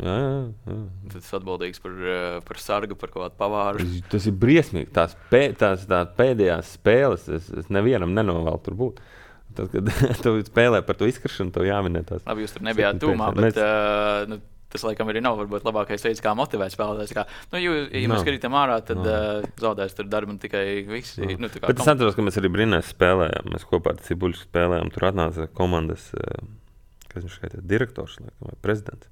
Jā, jā, jā. Tad tas atbildīgs par, par sargu, par kaut kādu pavāru. Tas, tas ir briesmīgi. Tās, pē, tās, tās pēdējās spēles, es, es nevienam nenovēlu tur būt. Tad, kad tu spēlē par to izkaršanu, tev jāminē tās. Labi, jūs tur nebijāt tūmā, bet mēs... uh, nu, tas laikam arī nav varbūt labākais veids, kā motivēt spēlētājs. Kā, nu, jo, ja no. mēs skatītam ārā, tad no. uh, zaudēs tur darbu un tikai visi. No. Nu, bet kom... es atceros, ka mēs arī Brīnēs spēlējām. Mēs kopā ar Cibuļsku spēlējām. Tur atnāca komandas, uh, kas viņš skaitās, direktors laikam, vai prezidents.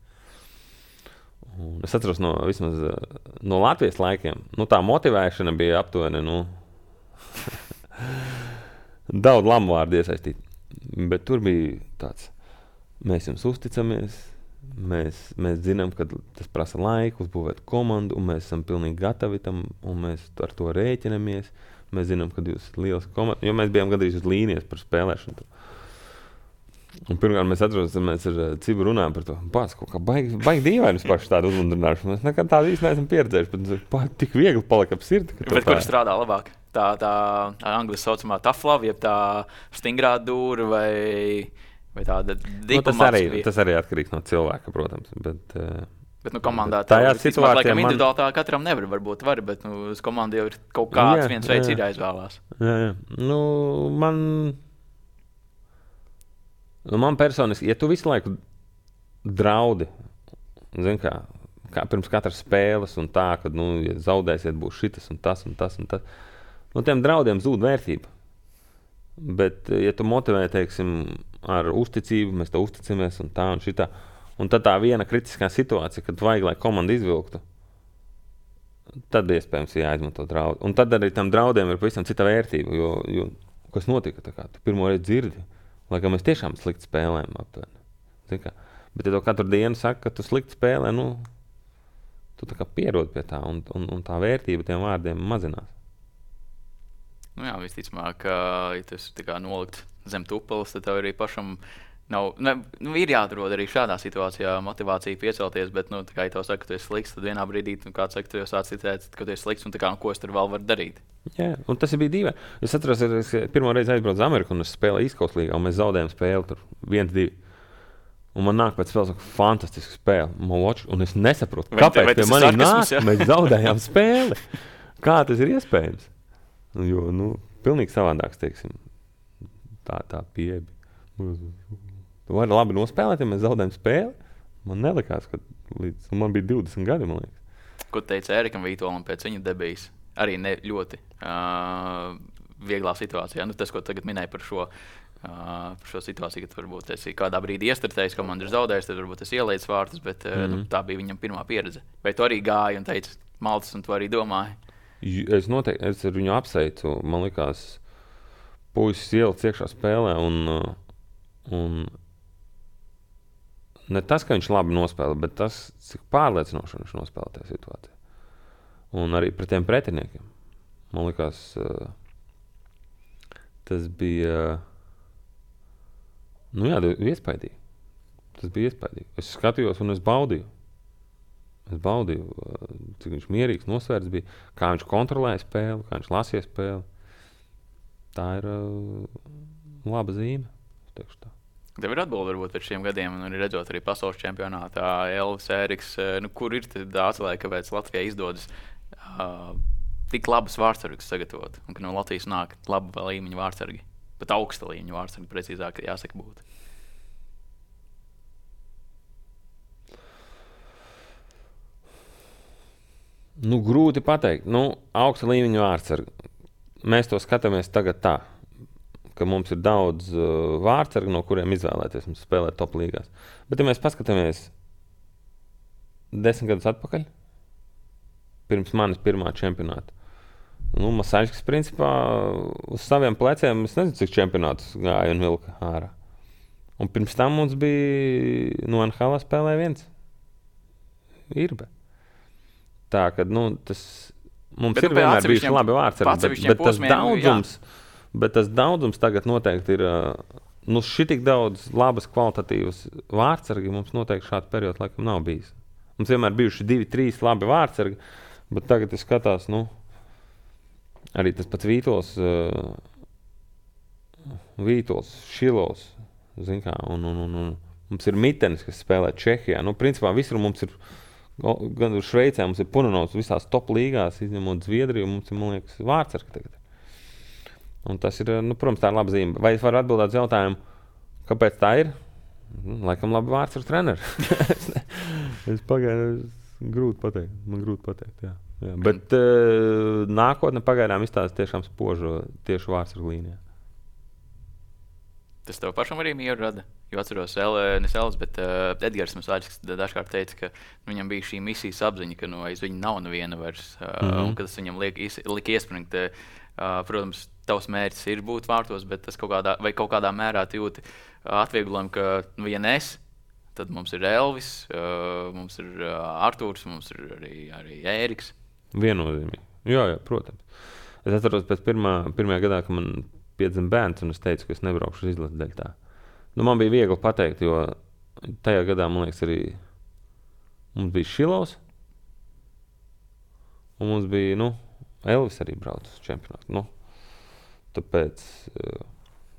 Un es atceros no, vismaz, uh, no Latvijas laikiem. Nu, tā motivēšana bija aptuveni, nu, daudz lamu vārdu iesaistīt. Bet tur bija tāds, mēs jums uzticamies, mēs, mēs zinām, ka tas prasa laiku, uzbūvēt komandu, un mēs esam pilnīgi gatavi tam, un mēs ar to rēķinamies. Mēs zinām, ka jūs esat liels komanda, jo mēs bijām gandrīz uz līnijas par spēlēšanu. Un pirmkārt mēs atceros, ka mēs ar Cibu runājam par to. Pats, kaut kā baigi, baigi dīvaini paši tādu uzmundrināšanu. Mēs nekad tādu īsti neesam pieredzējuši, bet pāt, tik viegli palika ap sirdi. Bet kur strādā labāk? tā, tā angļu saucamā tough love, jeb tā stingrā dūra vai, vai tāda nu, tas, arī, tas arī atkarīgs no cilvēka, protams. Bet, uh, bet nu, komandā bet tajā situācijā man... individuāli tā katram nevar, varbūt var, bet nu, uz komandu jau ir kaut kāds jā, viens veids jā. Ir jāizvēlās. Jā, jā. Nu, man, nu, man personiski, ja tu visu laiku draudi, zin kā, kā pirms katras spēles un tā, ka, nu, ja zaudēsiet, būs šitas un tas un tas un tas, nu, tiem draudiem zūd vērtība. Bet, ja tu motivē, teiksim, ar uzticību, mēs te uzticamies un tā un šitā, un tad tā viena kritiskā situācija, kad vajag, lai komanda izvilktu, tad iespējams jāizmanto draudi. Un tad arī tam draudiem ir pavisam cita vērtība, jo, jo kas notika, tā kā tu pirmo reizi dzirdi, lai kā mēs tiešām slikti spēlējam aptuveni. Zin kā? Bet ja to katru dienu saka, ka tu slikti spēlē, nu, tu tā kā pierod pie tā, un, un, un tā vērtība tiem vārdiem mazinās. Nu jā, visticamāk, ja tu esi tā kā nolikt zem tupeles, tad tev arī pašam nav, ne, nu, ir jāatrod arī šādā situācijā motivācija piecelties, bet, nu, tā kā ja tev saka, ka tu esi slikts, tad vienā brīdī, nu, kāds saka, tu jau sāc citēt, ka tu esi slikts, un tā kā, nu, ko es tur vēl varu darīt. Jā, un tas bija dīvaini. Es atceros, es pirmo reizi aizbraucu uz Ameriku, un es spēlēju East Coast līgā, un mēs zaudējām spēli tur viens divi. Un man nāk pēc spēles, ka fantastiska spēle, man watch, un es nesaprotu, vai kāpēc pie manī nāk, ja? Mēs zaudējām spēli. Kā tas ir iespējams? Jo, nu, pilnīgi savādāks, teiksim, tā, tā pieeja. Tu vari labi nospēlēt, ja mēs zaudējam spēli. Man nelikās, ka līdz, man bija divdesmit gadi, man liekas. Ko teica Ērikam Vītolam pēc viņa debijas? Arī ne ļoti uh, vieglā situācijā. Nu, tas, ko tagad minēja par šo, uh, par šo situāciju, kad varbūt esi kādā brīdī iestrtējis, komanda ir zaudējis, tad varbūt esi ielaicis vārtus, bet uh, mm-hmm. nu, tā bija viņam pirmā pieredze. Vai tu arī gāji un teici maltas, un tu arī domāji? Es noteikti, es ar viņu apsveicu, man likās, puisis ielicis iekšā spēlē, un, un ne tas, ka viņš labi nospēlē, bet tas, cik pārliecinoši viņš nospēlē tajā situācijā. Un arī pret tiem pretiniekiem. Man likās, tas bija, nu jā, iespaidīgi. Tas bija iespaidīgi. Es skatījos un es baudīju. Es baudīju, cik viņš mierīgs, nosvērts bija, kā viņš kontrolēja spēli, kā viņš lasīja spēli. Tā ir uh, laba zīme, teikšu tā. Tev ir atbildi varbūt pēc šiem gadiem, un arī redzot arī pasaules čempionātā, Elvis, Ēriks, nu, kur ir tā atslēga, kāpēc Latvijai izdodas uh, tik labas vārdsargus sagatavot, un ka no Latvijas nāk laba līmeņa vārdsargi, pat augsta līmeņa vārdsargi, precīzāk jāsaka būtu. Nu, grūti pateikt. Nu, augsta līmeņa vārdsargi. Mēs to skatāmies tagad tā, ka mums ir daudz uh, vārdsargi, no kuriem izvēlēties mums spēlēt top līgās. Bet ja mēs paskatāmies desmit gadus atpakaļ, pirms manis pirmā čempionāta, nu, Masaļskis principā uz saviem pleciem, es nezinu, cik čempionātus gāja un vilka ārā. Un pirms tam mums bija, no N H L spēlēja viens. Irbe. Tā, ka, nu, tas mums bet, ir vienmēr bijuši labi vārdsargi, bet, bet, tas daudzums, bet tas daudzums tagad noteikti ir, nu, šitik daudz labas kvalitatīvas vārdsargi, mums noteikti šādu periodu laikam nav bijis. Mums vienmēr bijuši divi, trīs labi vārdsargi, bet tagad es skatās, nu, arī tas pats Vītols, uh, Vītols, Šilovs, zin kā, un, un, un, un mums ir Mitenis, kas spēlē Čehijā. Nu, principā visur mums ir, gan uz Šveicē mums ir Punanovs visās top līgās, izņemot Zviedriju, mums ir, man liekas, vārdsargi tagad. Un tas ir, nu, protams, tā ir laba zīme. Vai es varu atbildēt uz jautājumu, kāpēc tā ir? Laikam labi vārdsargu treneri. es pagaidām, grūti pateikt, man grūti pateikt, jā. jā. Bet uh, nākotne pagaidām izstāsta tiešām spožu tieši vārdsargu līnijā. Tas tev pašam arī mieru rada? Jo atceros, ne Elvis, bet uh, Edgars Masaļskis dažkārt teica, ka nu, viņam bija šī misijas apziņa, ka no aiz viņa nav neviena vairs, uh, mm-hmm. un ka tas viņam liek, is, liek iespringt. Uh, protams, tavs mērķis ir būt vārtos, bet tas kaut kādā, vai kaut kādā mērā jūti uh, atvieglojumu, ka nu, ja nes, tad mums ir Elvis, uh, mums ir uh, Artūrs, mums ir arī, arī Ēriks. Viennozīmīgi. Jā, jā, protams. Es atceros pēc pirmā, pirmajā gadā, ka man piedzima bērns, un es teicu, ka es nebraukšu uz izlases dēļ tā. Nu, man bija viegli pateikt, jo tajā gadā, man liekas, arī mums bija Šilovs, un mums bija, nu, Elvis arī brauc uz čempionātu. Nu, tāpēc uh,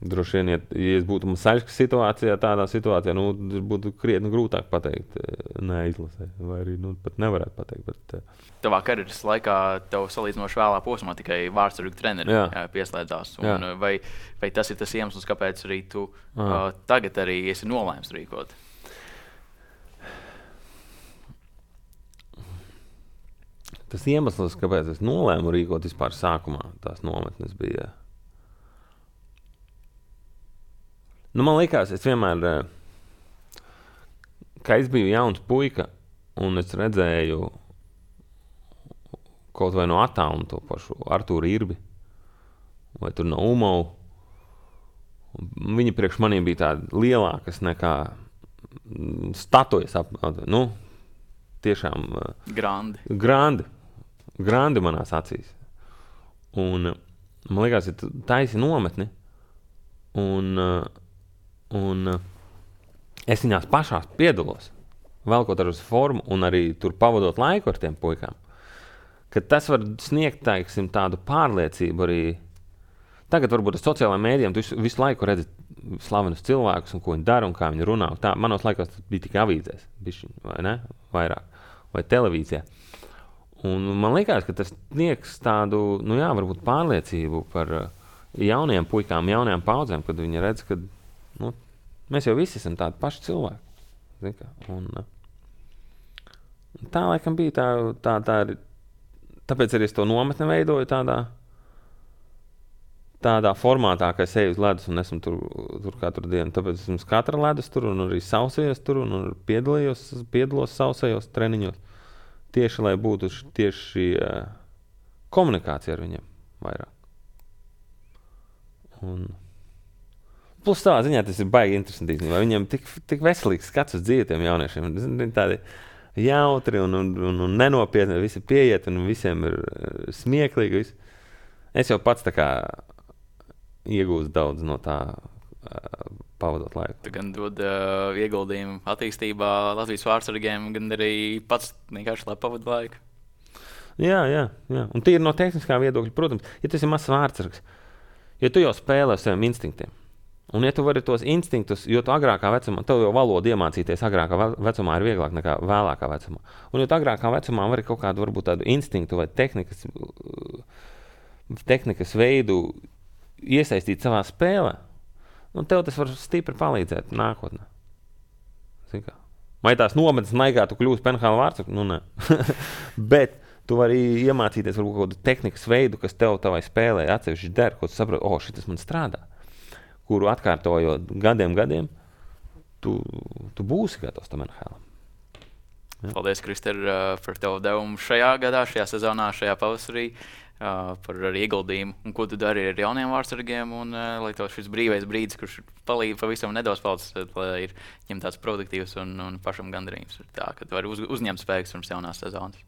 droši vien, ja, ja es būtu Masaļskas situācijā, tādā situācijā, nu, būtu krietni grūtāk pateikt, neizlasē, vai arī nu, pat nevarētu pateikt. Bet, uh, Tavā karjeras laikā tev salīdzinoši vēlā posmā tikai vārdsargu treneri jā. Jā, pieslēdzās. Un, jā. vai, vai tas ir tas iemesls, kāpēc arī tu uh, tagad arī esi nolēms rīkot? Tas iemesls, kāpēc es nolēmu rīkot vispār sākumā, tās nometnes bija. Nu, man likās, es vienmēr, ka es biju jauns puika, un es redzēju kaut vai no attāluma to pašu Artūru Irbi, vai tur no Umovu. Viņi priekš maniem bija tādi lielākas nekā statujas. Ap, nu, tiešām grandi. grandi. Grandi manās acīs. Un man liekas, ja tu taisi nometni, un, un es viņās pašās piedalos, velkot ar uz formu un arī tur pavadot laiku ar tiem puikām, ka tas var sniegt, teiksim, tādu pārliecību arī. Tagad varbūt ar sociālajiem mēdījiem tu visu, visu laiku redzi slavenus cilvēkus un ko viņi dara un kā viņi runā. Tā, manos laikos tas bija tikai avīzēs, bišķiņ, vai ne? Vairāk, vai televīzijā. Un man liekas, ka tas sniegs tādu, nu jā, varbūt pārliecību par jauniem puikām, jaunajām paudzēm, kad viņi redz, ka nu, mēs jau visi esam tādi paši cilvēki. Un, tā laikam bija tā, tā, tā, tāpēc arī es to nometni veidoju tādā, tādā formātā, ka es eju uz ledus un esmu tur, tur katru dienu. Tāpēc esmu katra ledus tur un arī sausējos tur un piedalījos, piedalos sausējos treniņos. Tieši, lai būtu tieši uh, komunikācija ar viņiem vairāk. Un plus savā ziņā tas ir baigi interesanti. Viņiem tik, tik veselīgs skats uz dzīvi tiem jauniešiem. Viņi tādi jautri un, un, un, un nenopietni, visi pieiet un visiem ir uh, smieklīgi. Visi. Es jau pats tā kā iegūstu daudz no tā uh, pavadot laiku. Tu gan dod uh, ieguldījumu attīstībā Latvijas vārdsargiem, gan arī pats vienkārši, lai pavadu laiku. Jā, jā, jā. Un tīri no tehniskā viedokļa, protams, ja tas ir mazs vārdsargs, ja tu jau spēlē ar saviem instinktiem, un ja tu vari tos instinktus, jo tu agrākā vecumā, tev jau valodu iemācīties agrākā vecumā ir vieglāk nekā vēlākā vecumā. Un ja tu agrākā vecumā vari kaut kādu varbūt tādu instinktu vai tehnikas, tehnikas veidu iesaistīt savā spēlē, un tev tas var stipri palīdzēt nākotnē. Vai tās nometnes naigā tu kļūsi P N H L vārdsargs? Nu, nē. Bet tu vari iemācīties varbūt kaut kādu tehnikas veidu, kas tev tavai spēlē atsevišķi der, ko tu saproti, o, šitas man strādā, kuru atkārtojot gadiem, gadiem, tu, tu būsi gatavs tam N H L. Ja. Paldies, Krister, par tevu devumu šajā gadā, šajā sezonā, šajā pavasarī. Uh, par ieguldījumu un ko tu dari ar jauniem vārdsargiem un uh, lai tev šis brīvais brīdis, kurš palīdz pavisam nedaudz palicis, lai ir ņem tāds produktīvs un, un pašam gandarījums. Tā, ka tu vari uz, uzņemt spēkus pirms jaunās sezonas.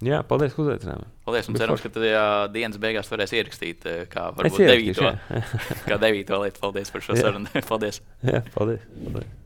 Jā, paldies, ka uzaicinājāt. Paldies, un cerams, ka tu tajā dienas beigās varēs ierakstīt, kā varbūt devīto, kā devīto lietu. Paldies par šo sarunu. Paldies. Jā, paldies. paldies.